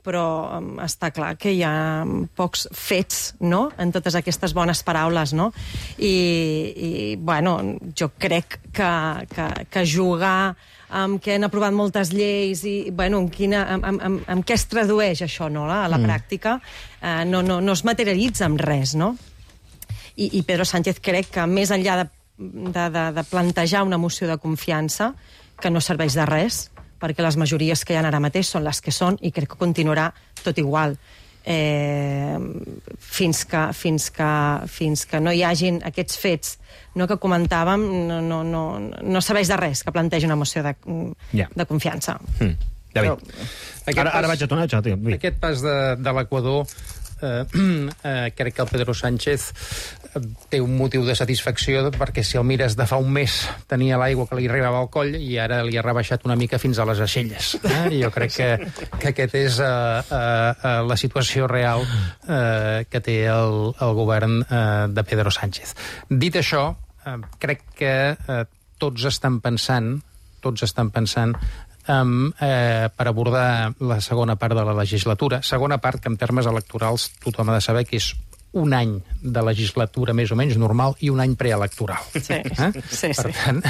però està clar que hi ha pocs fets, no?, en totes aquestes bones paraules, no? I bueno, jo crec que jugar amb què han aprovat moltes lleis i, bueno, amb què es tradueix això, no?, a la pràctica, no es materialitza amb res, no? I Pedro Sánchez crec que més enllà de de plantejar una moció de confiança que no serveix de res, perquè les majories que hi ha ara mateix són les que són i crec que continuarà tot igual. Fins que no hi hagin aquests fets que comentàvem, no serveix de res que plantegi una moció de confiança. David, ara vaig a tornar. Aquest pas de l'Equador, crec que el Pedro Sánchez té un motiu de satisfacció, perquè si el mires de fa un mes tenia l'aigua que li arribava al coll i ara li ha rebaixat una mica fins a les aixelles. Jo crec que aquest és la situació real que té el govern de Pedro Sánchez. Dit això, crec que tots estan pensant per abordar la segona part de la legislatura. Segona part que en termes electorals tothom ha de saber que és un any de legislatura més o menys normal i un any preelectoral. Per tant,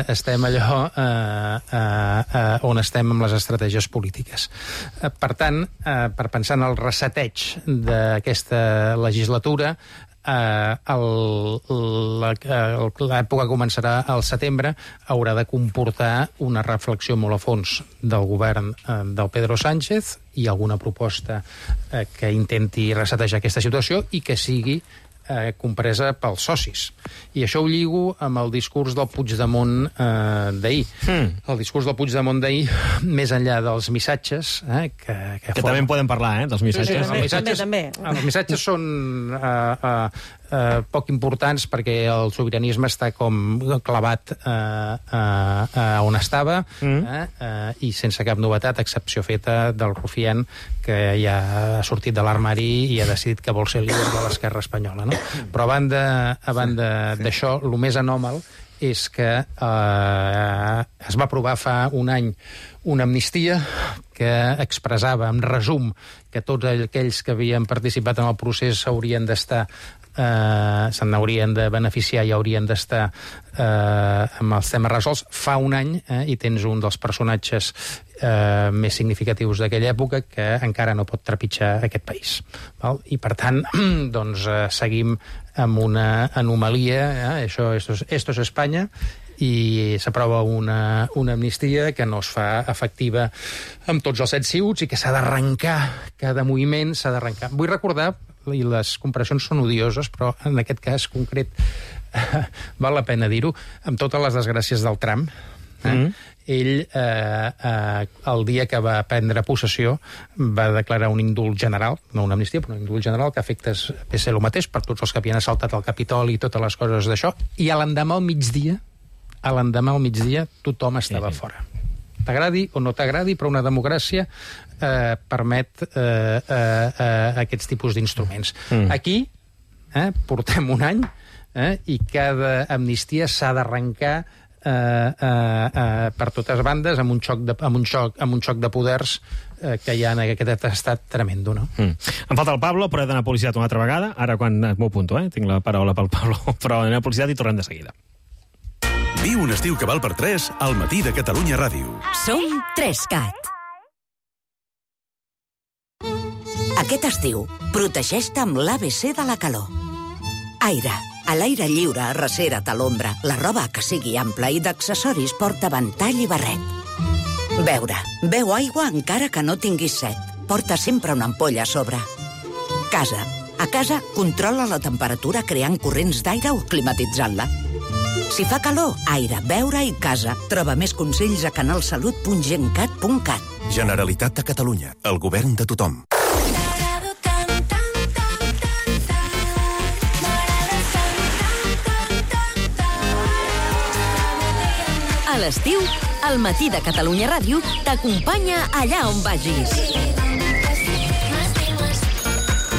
estem allò on estem amb les estratègies polítiques. Per tant, per pensar en el reseteig d'aquesta legislatura, l'època començarà al setembre, haurà de comportar una reflexió molt a fons del govern del Pedro Sánchez i alguna proposta que intenti resetejar aquesta situació i que sigui compresa pels socis. I això ho lligo amb el discurs del Puigdemont d'ahir. El discurs del Puigdemont d'ahir, més enllà dels missatges... Que també en podem parlar, dels missatges. Els missatges són poc importants perquè el sobiranisme està com clavat on estava i sense cap novetat, excepció feta del Rufián, que ja ha sortit de l'armari i ha decidit que vol ser líder de l'esquerra espanyola. Però a banda d'això, el més anòmal és que es va aprovar fa un any una amnistia que expressava, en resum, que tots aquells que havien participat en el procés s'haurien d'estar se n'haurien de beneficiar i haurien d'estar amb els temes resolts. Fa un any i tens un dels personatges més significatius d'aquella època que encara no pot trepitjar aquest país. I per tant, doncs, seguim amb una anomalia, esto es Espanya, i s'aprova una amnistia que no es fa efectiva amb tots els 7 ciuts i que s'ha d'arrencar, cada moviment s'ha d'arrencar. Vull recordar, i les comparacions són odioses, però en aquest cas concret val la pena dir-ho, amb totes les desgràcies del Trump, ell, el dia que va prendre possessió, va declarar un indult general, no una amnistia, però un indult general, que afectes ve ser el mateix per tots els que havien assaltat el Capitoli i totes les coses d'això, i a l'endemà al migdia, tothom estava fora. T'agradi o no t'agradi, però una democràcia permet aquests tipus d'instruments. Aquí portem un any i cada amnistia s'ha d'arrencar per totes bandes amb un xoc de poders que hi ha en aquest estat tremendo, no? Em falta el Pablo, però he d'anar a publicitat una altra vegada. Ara quan m'ho apunto, tinc la paraula pel Pablo, però anem a publicitat i tornem de seguida. Viu un estiu que val per 3 al Matí de Catalunya Ràdio. Som 3CAT. Aquest estiu, protegeix-te amb l'ABC de la calor. Aire. A l'aire lliure, arrecera't a l'ombra. La roba que sigui ampla i d'accessoris porta ventall i barret. Beure. Beu aigua encara que no tinguis set. Porta sempre una ampolla a sobre. Casa. A casa, controla la temperatura creant corrents d'aire o climatitzant-la. Si fa calor, aire, beure i casa. Troba més consells a canalsalut.gencat.cat. Generalitat de Catalunya. El govern de tothom. A l'estiu, el Matí de Catalunya Ràdio t'acompanya allà on vagis.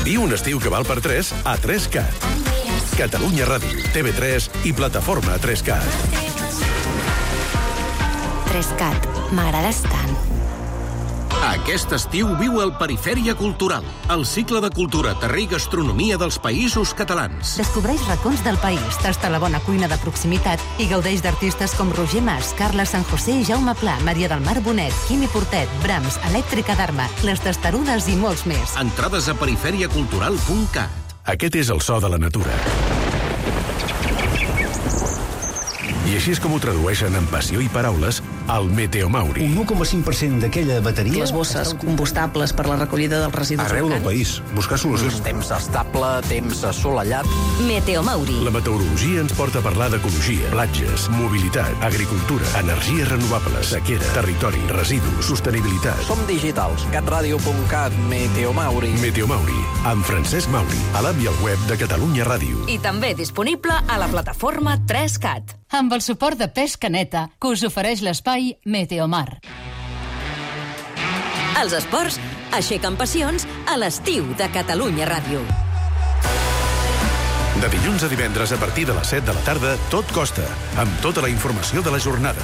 Viu un estiu que val per 3 a 3CAT. Catalunya Ràdio, TV3 i plataforma 3CAT. 3CAT, m'agrades tant. Aquest estiu viu el Perifèria Cultural, el cicle de cultura, terrer i gastronomia dels països catalans. Descobreix racons del país, tasta la bona cuina de proximitat i gaudeix d'artistes com Roger Mas, Carla San José i Jaume Pla, Maria del Mar Bonet, Quimi Portet, Brahms, Elèctrica d'Arma, Les Testarudes i molts més. Entrades a periferiacultural.cat. Aquest és el so de la natura. I així és com ho tradueixen en passió i paraules al Meteomauri. Un 1,5% d'aquella bateria... Les bosses combustables per la recollida dels residus Arreu del país, buscar solucions. Temps estable, temps assolellat. Meteomauri. La meteorologia ens porta a parlar d'ecologia, platges, mobilitat, agricultura, energies renovables, sequera, territori, residus, sostenibilitat. Som digitals. catradio.cat, Meteomauri. Meteomauri, amb Francesc Mauri, a l'app i al web de Catalunya Ràdio. I també disponible a la plataforma 3CAT. Amb el suport de Pesca Neta, que us ofereix l'espai Meteomar. Els esports aixequen passions a l'estiu de Catalunya Ràdio. De dilluns a divendres a partir de les 7 de la tarda, Tot Costa, amb tota la informació de la jornada.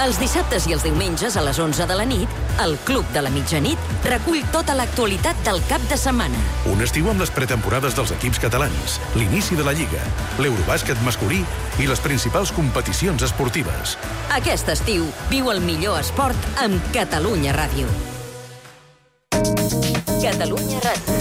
Els dissabtes i els diumenges a les 11 de la nit, el Club de la Mitjanit recull tota l'actualitat del cap de setmana. Un estiu amb les pretemporades dels equips catalans, l'inici de la Lliga, l'Eurobàsquet masculí i les principals competicions esportives. Aquest estiu viu el millor esport amb Catalunya Ràdio. Catalunya Ràdio.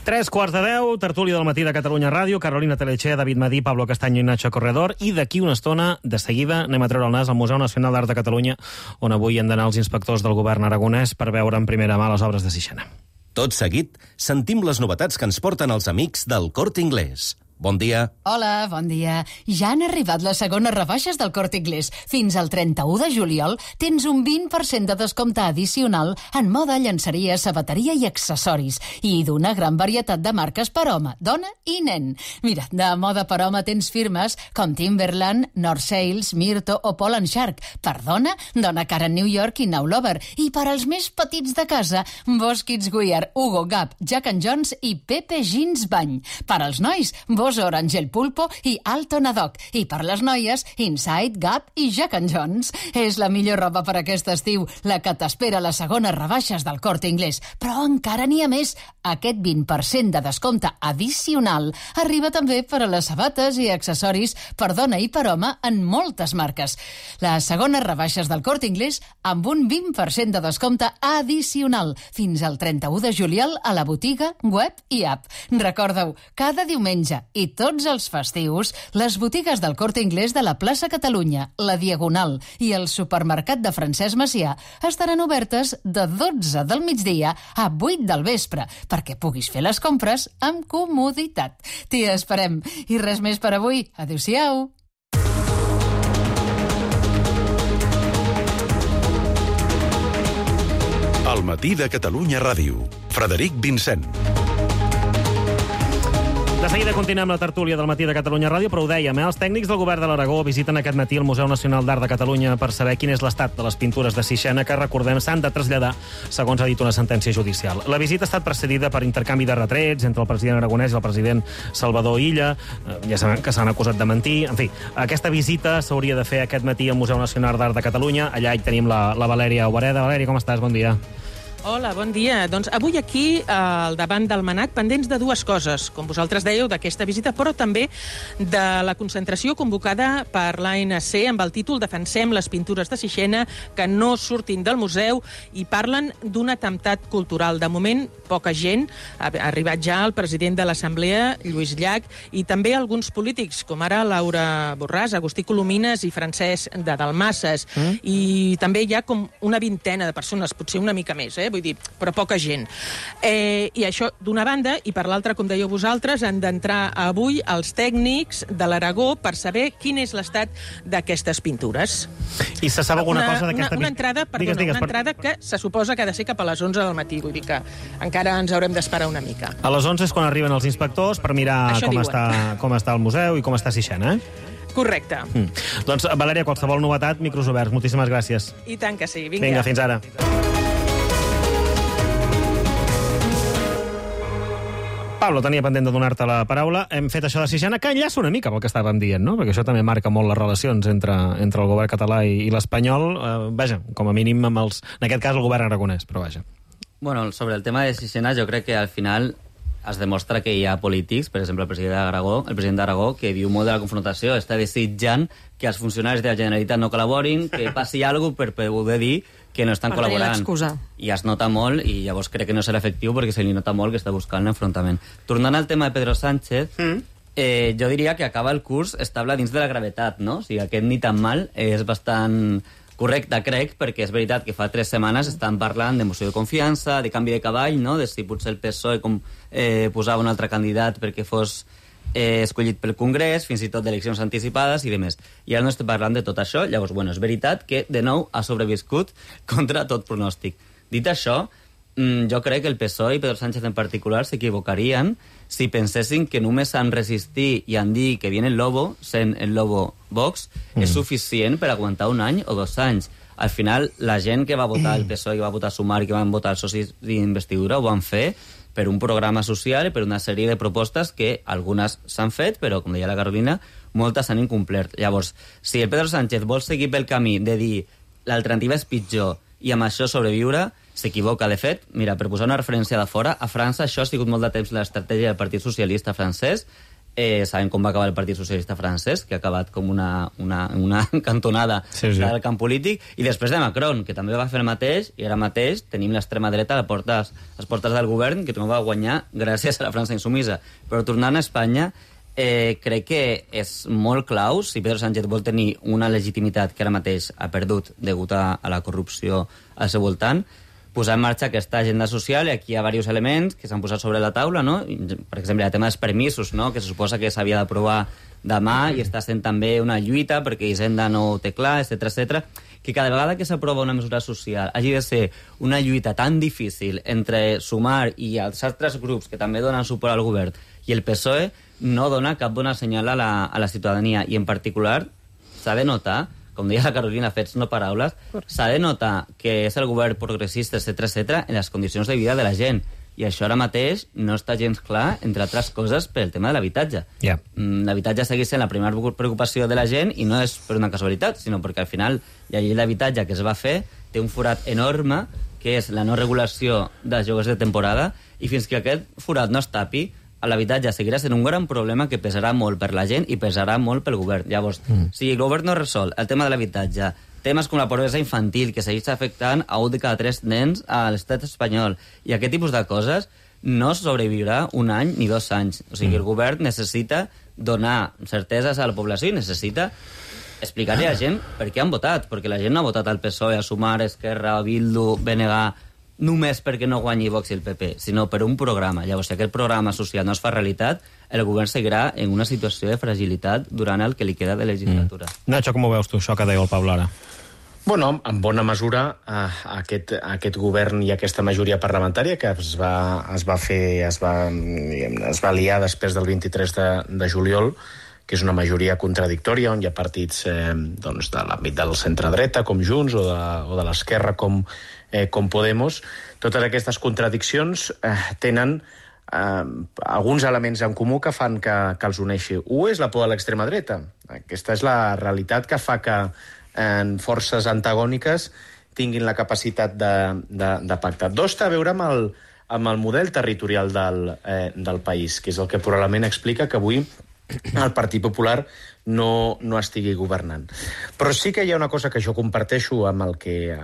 9:03, tertúlia del matí de Catalunya Ràdio, Carolina Telechea, David Madí, Pablo Castaño i Nacho Corredor, i d'aquí una estona, de seguida, anem a treure el nas al Museu Nacional d'Art de Catalunya, on avui han d'anar els inspectors del govern aragonès per veure en primera mà les obres de Sixena. Tot seguit, sentim les novetats que ens porten els amics del Corte Inglés. Bon dia. Hola, bon dia. Ja han arribat les segones rebaixes del Corte Inglés. Fins al 31 de juliol tens un 20% de descompte addicional en moda, llenceria, sabateria i accessoris. I d'una gran varietat de marques per home, dona i nen. Mira, de moda per home tens firmes com Timberland, North Sails, Myrto o Paul & Shark. Per dona, Donna Karan New York i Now Lover. I per als més petits de casa, Boss Kids Wear, Hugo Gap, Jack & Jones i Pepe Jeans Bany. Per als nois, Boss Orange El Pulpo i Alton Ad Hoc. I per les noies, Inside, Gap i Jack & Jones. És la millor roba per aquest estiu, la que t'espera a les segones rebaixes del Corte Inglés. Però encara n'hi ha més. Aquest 20% de descompte addicional arriba també per a les sabates i accessoris per dona i per home en moltes marques. Les segones rebaixes del Corte Inglés amb un 20% de descompte addicional fins al 31 de juliol a la botiga, web i app. Recordeu, cada diumenge i tots els festius, les botigues del Corte Inglés de la plaça Catalunya, la Diagonal i el supermercat de Francesc Macià estaran obertes de 12 del migdia a 8 del vespre, perquè puguis fer les compres amb comoditat. T'hi esperem. I res més per avui. Adéu-siau. Al matí de Catalunya Ràdio. Frederic Vincent. De seguida continuem la tertúlia del matí de Catalunya Ràdio, però ho dèiem, els tècnics del govern de l'Aragó visiten aquest matí el Museu Nacional d'Art de Catalunya per saber quin és l'estat de les pintures de Sixena que, recordem, s'han de traslladar, segons ha dit una sentència judicial. La visita ha estat precedida per intercanvi de retrets entre el president aragonès i el president Salvador Illa. Ja sabem que s'han acusat de mentir. En fi, aquesta visita s'hauria de fer aquest matí al Museu Nacional d'Art de Catalunya. Allà hi tenim la Valèria Obereda. Valèria, com estàs? Bon dia. Hola, bon dia. Doncs avui aquí, al davant del MNAC, pendents de dues coses, com vosaltres dèieu, d'aquesta visita, però també de la concentració convocada per l'ANC amb el títol Defensem les pintures de Sixena que no surtin del museu i parlen d'un atemptat cultural. De moment, poca gent. Ha arribat ja el president de l'Assemblea, Lluís Llach, i també alguns polítics, com ara Laura Borràs, Agustí Colomines i Francesc de Dalmases. I també hi ha com una vintena de persones, potser una mica més, vull dir, però poca gent. I això d'una banda, i per l'altra, com dèieu vosaltres, han d'entrar avui els tècnics de l'Aragó per saber quin és l'estat d'aquestes pintures. I se sap alguna cosa d'aquesta... Una entrada, perdona, una entrada que se suposa que ha de ser cap a les 11 del matí, vull dir que encara ens haurem d'esperar una mica. A les 11 és quan arriben els inspectors per mirar com està el museu i com està Sixena, Correcte. Doncs, Valèria, qualsevol novetat, micros oberts. Moltíssimes gràcies. I tant que sí. Vinga. Vinga, fins ara. Pablo, tenia pendent de donar-te la paraula. Hem fet això de Sixena, que enllaça una mica pel que estàvem dient, no? Perquè això també marca molt les relacions entre el govern català i l'espanyol. Vaja, com a mínim amb els... En aquest cas, el govern aragonès, però vaja. Bueno, sobre el tema de Sixena, jo crec que al final es demostra que hi ha polítics, per exemple, el president d'Aragó, que viu molt de la confrontació, està desitjant que els funcionaris de la Generalitat no col·laborin, que passi alguna cosa per poder dir que no estan col·laborant. I es nota molt, i llavors crec que no serà efectiu perquè se li nota molt que està buscant l'enfrontament. Tornant al tema de Pedro Sánchez, Jo diria que acaba el curs estable dins de la gravetat, no? O sigui, aquest ni tan mal és bastant correcte, crec, perquè és veritat que fa 3 setmanes estan parlant de moció de confiança, de canvi de cavall, no? De si potser el PSOE posava un altre candidat perquè fos escollit pel Congrés, fins i tot d'eleccions anticipades i demés. I ara no estem parlant de tot això. Llavors, bueno, és veritat que, de nou, ha sobreviscut contra tot pronòstic. Dit això, jo crec que el PSOE i Pedro Sánchez en particular s'equivocarien si pensessin que només han resistir i han dit que viene el lobo, sent el lobo Vox, és suficient per aguantar 1 any o 2 anys. Al final, la gent que va votar el PSOE, que va votar Sumar i que van votar els socis d'investidura ho van fer per un programa social i per una sèrie de propostes que algunes s'han fet, però, com deia la Carolina, moltes s'han incomplert. Llavors, si el Pedro Sánchez vol seguir pel camí de dir l'alternativa és pitjor i amb això sobreviure, s'equivoca. De fet, mira, per posar una referència de fora, a França això ha sigut molt de temps l'estratègia del Partit Socialista francès. Sabem com va acabar el Partit Socialista francès, que ha acabat com una cantonada del camp polític, i després de Macron, que també va fer el mateix, i ara mateix tenim l'extrema dreta a les portes del govern, que no va guanyar gràcies a la França insumisa. Però tornant a Espanya, crec que és molt clau, si Pedro Sánchez vol tenir una legitimitat que ara mateix ha perdut degut a la corrupció al seu voltant, posar en marxa aquesta agenda social, i aquí hi ha diversos elements que s'han posat sobre la taula, no? Per exemple, el tema dels permisos, no? Que se suposa que s'havia d'aprovar demà i està sent també una lluita perquè Hisenda no ho té clar, etc. Que cada vegada que s'aprova una mesura social hagi de ser una lluita tan difícil entre Sumar i els altres grups que també donen suport al govern i el PSOE no dona cap bona senyal a la ciutadania, i en particular s'ha de notar, com deia la Carolina, fets no paraules, s'ha de notar que és el govern progressista, etc., en les condicions de vida de la gent. I això ara mateix no està gens clar, entre altres coses, per el tema de l'habitatge. L'habitatge segueix sent la primera preocupació de la gent, i no és per una casualitat, sinó perquè al final la llei d'habitatge que es va fer té un forat enorme, que és la no regulació dels lloguers de temporada, i fins que aquest forat no es tapi, l'habitatge seguirà sent un gran problema que pesarà molt per la gent i pesarà molt pel govern. Llavors, si el govern no resol el tema de l'habitatge, temes com la pobresa infantil, que segueix afectant a 1 de cada 3 nens a l'estat espanyol, i aquest tipus de coses, no sobreviurà 1 any ni 2 anys. O sigui, el govern necessita donar certeses a la població i necessita explicar-li a la gent per què han votat, perquè la gent no ha votat al PSOE, a Sumar, Esquerra, Bildu, BNG, només perquè no guanyi Vox i el PP, sinó per un programa. Llavors, si aquest programa social no es fa realitat, el govern seguirà en una situació de fragilitat durant el que li queda de legislatura. Nacho, com ho veus tu, això que deia el Pablo ara? Bueno, en bona mesura, aquest govern i aquesta majoria parlamentària que es va liar després del 23 de juliol, que és una majoria contradictòria, on hi ha partits de l'àmbit del centre-dreta, com Junts, o de l'esquerra, com Podemos. Totes aquestes contradiccions tenen alguns elements en comú que fan que els uneixi. Un és la por de l'extrema dreta. Aquesta és la realitat que fa que forces antagòniques tinguin la capacitat de pactar. Dos, té a veure amb el model territorial del país, que és el que probablement explica que avui el Partit Popular no estigui governant. Però sí que hi ha una cosa que jo comparteixo amb el que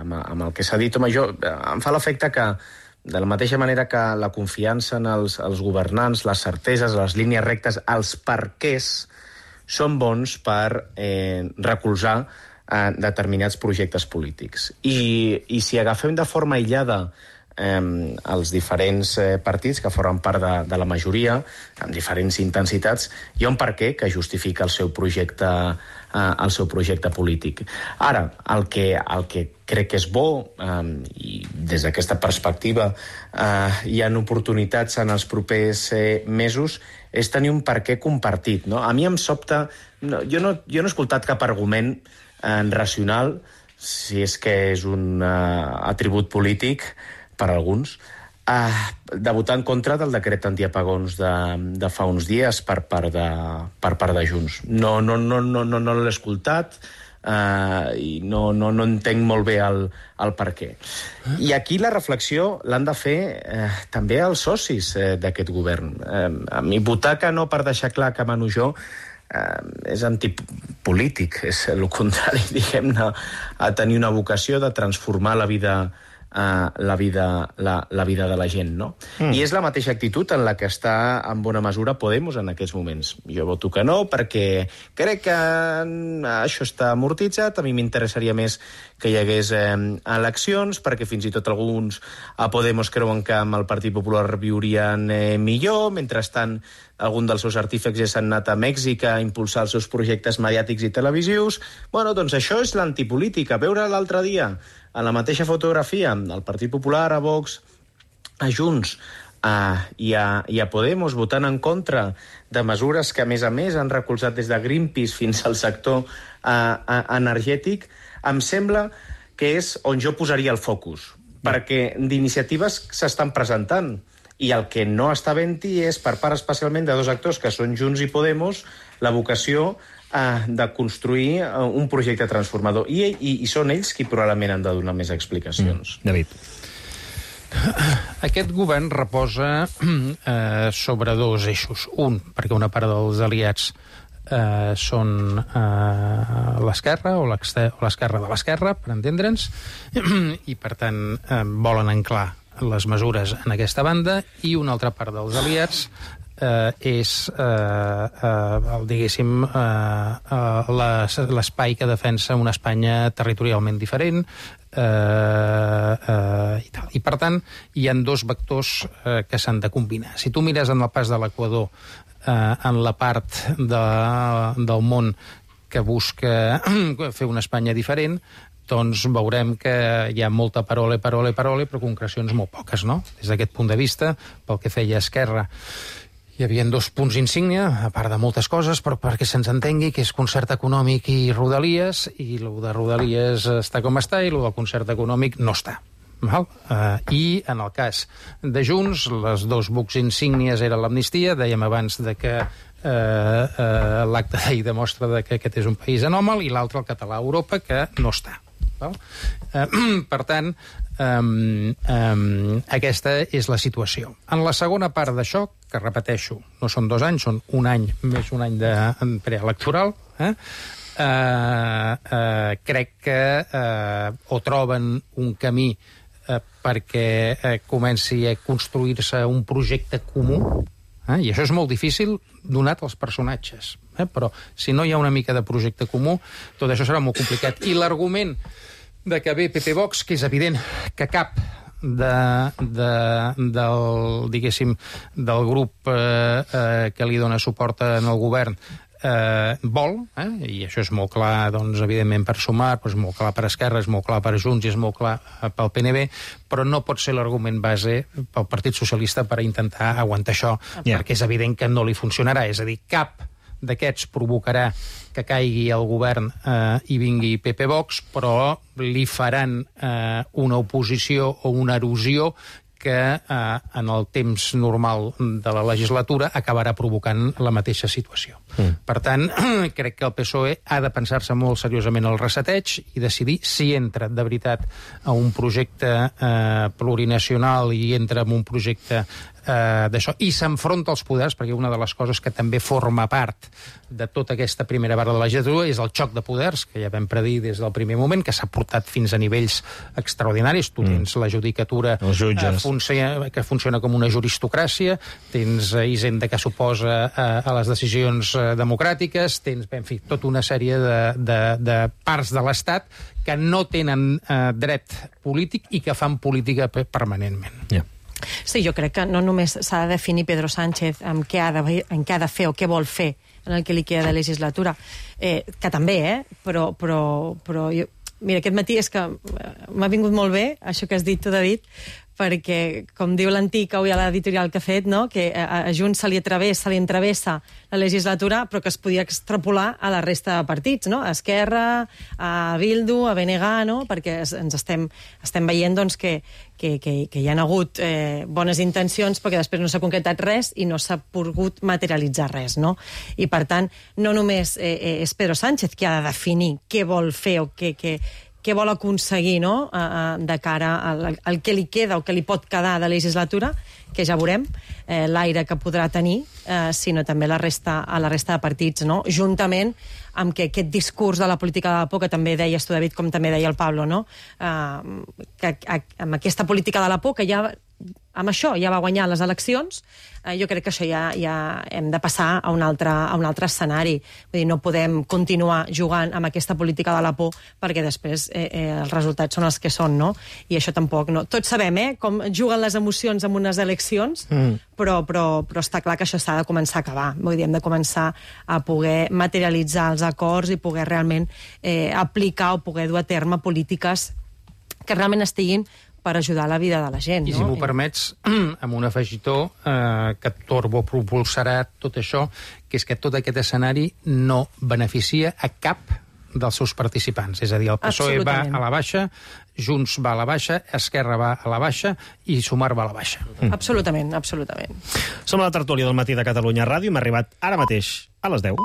s'ha dit. Home, em fa l'efecte que, de la mateixa manera que la confiança en els governants, les certeses, les línies rectes, els perquès, són bons per recolzar determinats projectes polítics. I si agafem de forma aïllada els diferents partits que formen part de la majoria, amb diferents intensitats, hi ha un perquè que justifica el seu projecte polític. Ara, el que crec que és bo, i des d'aquesta perspectiva hi ha oportunitats en els propers mesos, és tenir un perquè compartit, no? A mi em sobta... Jo no he escoltat cap argument racional, si és que és un atribut polític per alguns, de votar en contra del decret antiapagons de fa uns dies per part de Junts. No l'he escoltat i no entenc molt bé el per què. I aquí la reflexió l'han de fer també els socis d'aquest govern. A mi votar que no per deixar clar que mano jo és antipolític, és el contrari, diguem-ne, a tenir una vocació de transformar la vida la vida de la gent, no? I és la mateixa actitud en la que està en bona mesura Podemos en aquests moments. Jo voto que no perquè crec que això està amortitzat, a mi m'interessaria més que hi hagués eleccions, perquè fins i tot alguns a Podemos creuen que amb el Partit Popular viurien millor, mentrestant algun dels seus artífexs s'han anat a Mèxic a impulsar els seus projectes mediàtics i televisius. Bueno, doncs això és l'antipolítica. Veure l'altre dia, en la mateixa fotografia, el Partit Popular, a Vox, a Junts i a Podemos votant en contra de mesures que, a més, han recolzat des de Greenpeace fins al sector energètic, em sembla que és on jo posaria el focus, perquè d'iniciatives s'estan presentant, i el que no està havent-hi és, per part especialment de dos actors, que són Junts i Podemos, la vocació de construir un projecte transformador. I són ells qui probablement han de donar més explicacions. David. Aquest govern reposa sobre dos eixos. Un, perquè una part dels aliats són l'esquerra o l'esquerra de l'esquerra, per entendre'ns, i per tant volen anclar les mesures en aquesta banda, i una altra part dels aliats és, diguéssim, l'espai que defensa una Espanya territorialment diferent, i tal. I, per tant, hi ha dos vectors que s'han de combinar. Si tu mires en el pas de l'Equador, en la part del món que busca fer una Espanya diferent, doncs veurem que hi ha molta parole, però concrecions molt poques, no? Des d'aquest punt de vista, pel que feia Esquerra, hi havia dos punts insígnia, a part de moltes coses, però perquè se'ns entengui, que és concert econòmic i Rodalies, i el de Rodalies està com està, i el del concert econòmic no està. I en el cas de Junts, les dos bucs insígnies eren l'amnistia, dèiem abans que l'acte d'ahir demostra que aquest és un país anòmal, i l'altre, el català a Europa, que no està. Per tant, aquesta és la situació. En la segona part d'això, que repeteixo, no són 2 anys, són un any, més un any de preelectoral, crec que o troben un camí perquè comenci a construir-se un projecte comú, i això és molt difícil donat els personatges, però si no hi ha una mica de projecte comú, tot això serà molt complicat. I l'argument de que ve PP Vox, que és evident que cap del grup que li dona suport en el govern vol, i això és molt clar, doncs, evidentment, per Sumar, però és molt clar per Esquerra, és molt clar per Junts i és molt clar pel PNB, però no pot ser l'argument base pel Partit Socialista per intentar aguantar això, perquè és evident que no li funcionarà. És a dir, cap d'aquests provocarà que caigui el govern i vingui PP Vox, però li faran una oposició o una erosió que en el temps normal de la legislatura acabarà provocant la mateixa situació. Per tant, crec que el PSOE ha de pensar-se molt seriosament el reseteig i decidir si entra de veritat a un projecte plurinacional i entra en un projecte d'això, i s'enfronta als poders, perquè una de les coses que també forma part de tota aquesta primera part de la legislatura és el xoc de poders, que ja vam predir des del primer moment, que s'ha portat fins a nivells extraordinaris. Tu tens la judicatura que funciona com una juristocràcia, tens Hisenda que s'oposa a les decisions democràtiques, tens, en fi, tota una sèrie de parts de l'Estat que no tenen dret polític i que fan política permanentment. Sí, jo crec que no només s'ha de definir Pedro Sánchez en què ha de fer o què vol fer en el que li queda de legislatura, que també, però jo, mira, aquest matí és que m'ha vingut molt bé això que has dit tu, David, perquè, com diu l'antic, avui a l'editorial que ha fet, no? Que a Junts se li entravessa la legislatura, però que es podia extrapolar a la resta de partits, no? A Esquerra, a Bildu, a BNG, no? Perquè ens estem veient doncs, que hi ha hagut bones intencions, perquè després no s'ha concretat res i no s'ha pogut materialitzar res, no? I, per tant, no només és Pedro Sánchez qui ha de definir què vol fer o què què vol aconseguir, no?, de cara al que li queda o que li pot quedar de legislatura, que ja veurem l'aire que podrà tenir, sinó també a la resta de partits, no?, juntament amb que aquest discurs de la política de la por, que també deies tu, David, com també deia el Pablo, no?, que amb aquesta política de la por, que ja amb això ja va guanyar les eleccions, jo crec que això ja hem de passar a un altre escenari. Vull dir, no podem continuar jugant amb aquesta política de la por, perquè després els resultats són els que són, no? I això tampoc, no. Tots sabem, com juguen les emocions en unes eleccions, però està clar que això s'ha de començar a acabar. Vull dir, hem de començar a poder materialitzar els acords i poder realment aplicar o poder dur a terme polítiques que realment estiguin per ajudar la vida de la gent. I si m'ho permets, amb un afegitó que turbopropulsarà tot això, que és que tot aquest escenari no beneficia a cap dels seus participants. És a dir, el PSOE va a la baixa, Junts va a la baixa, Esquerra va a la baixa i Sumar va a la baixa. Absolutament, absolutament. Som a la tertúlia del Matí de Catalunya Ràdio. Hem arribat ara mateix a les 10.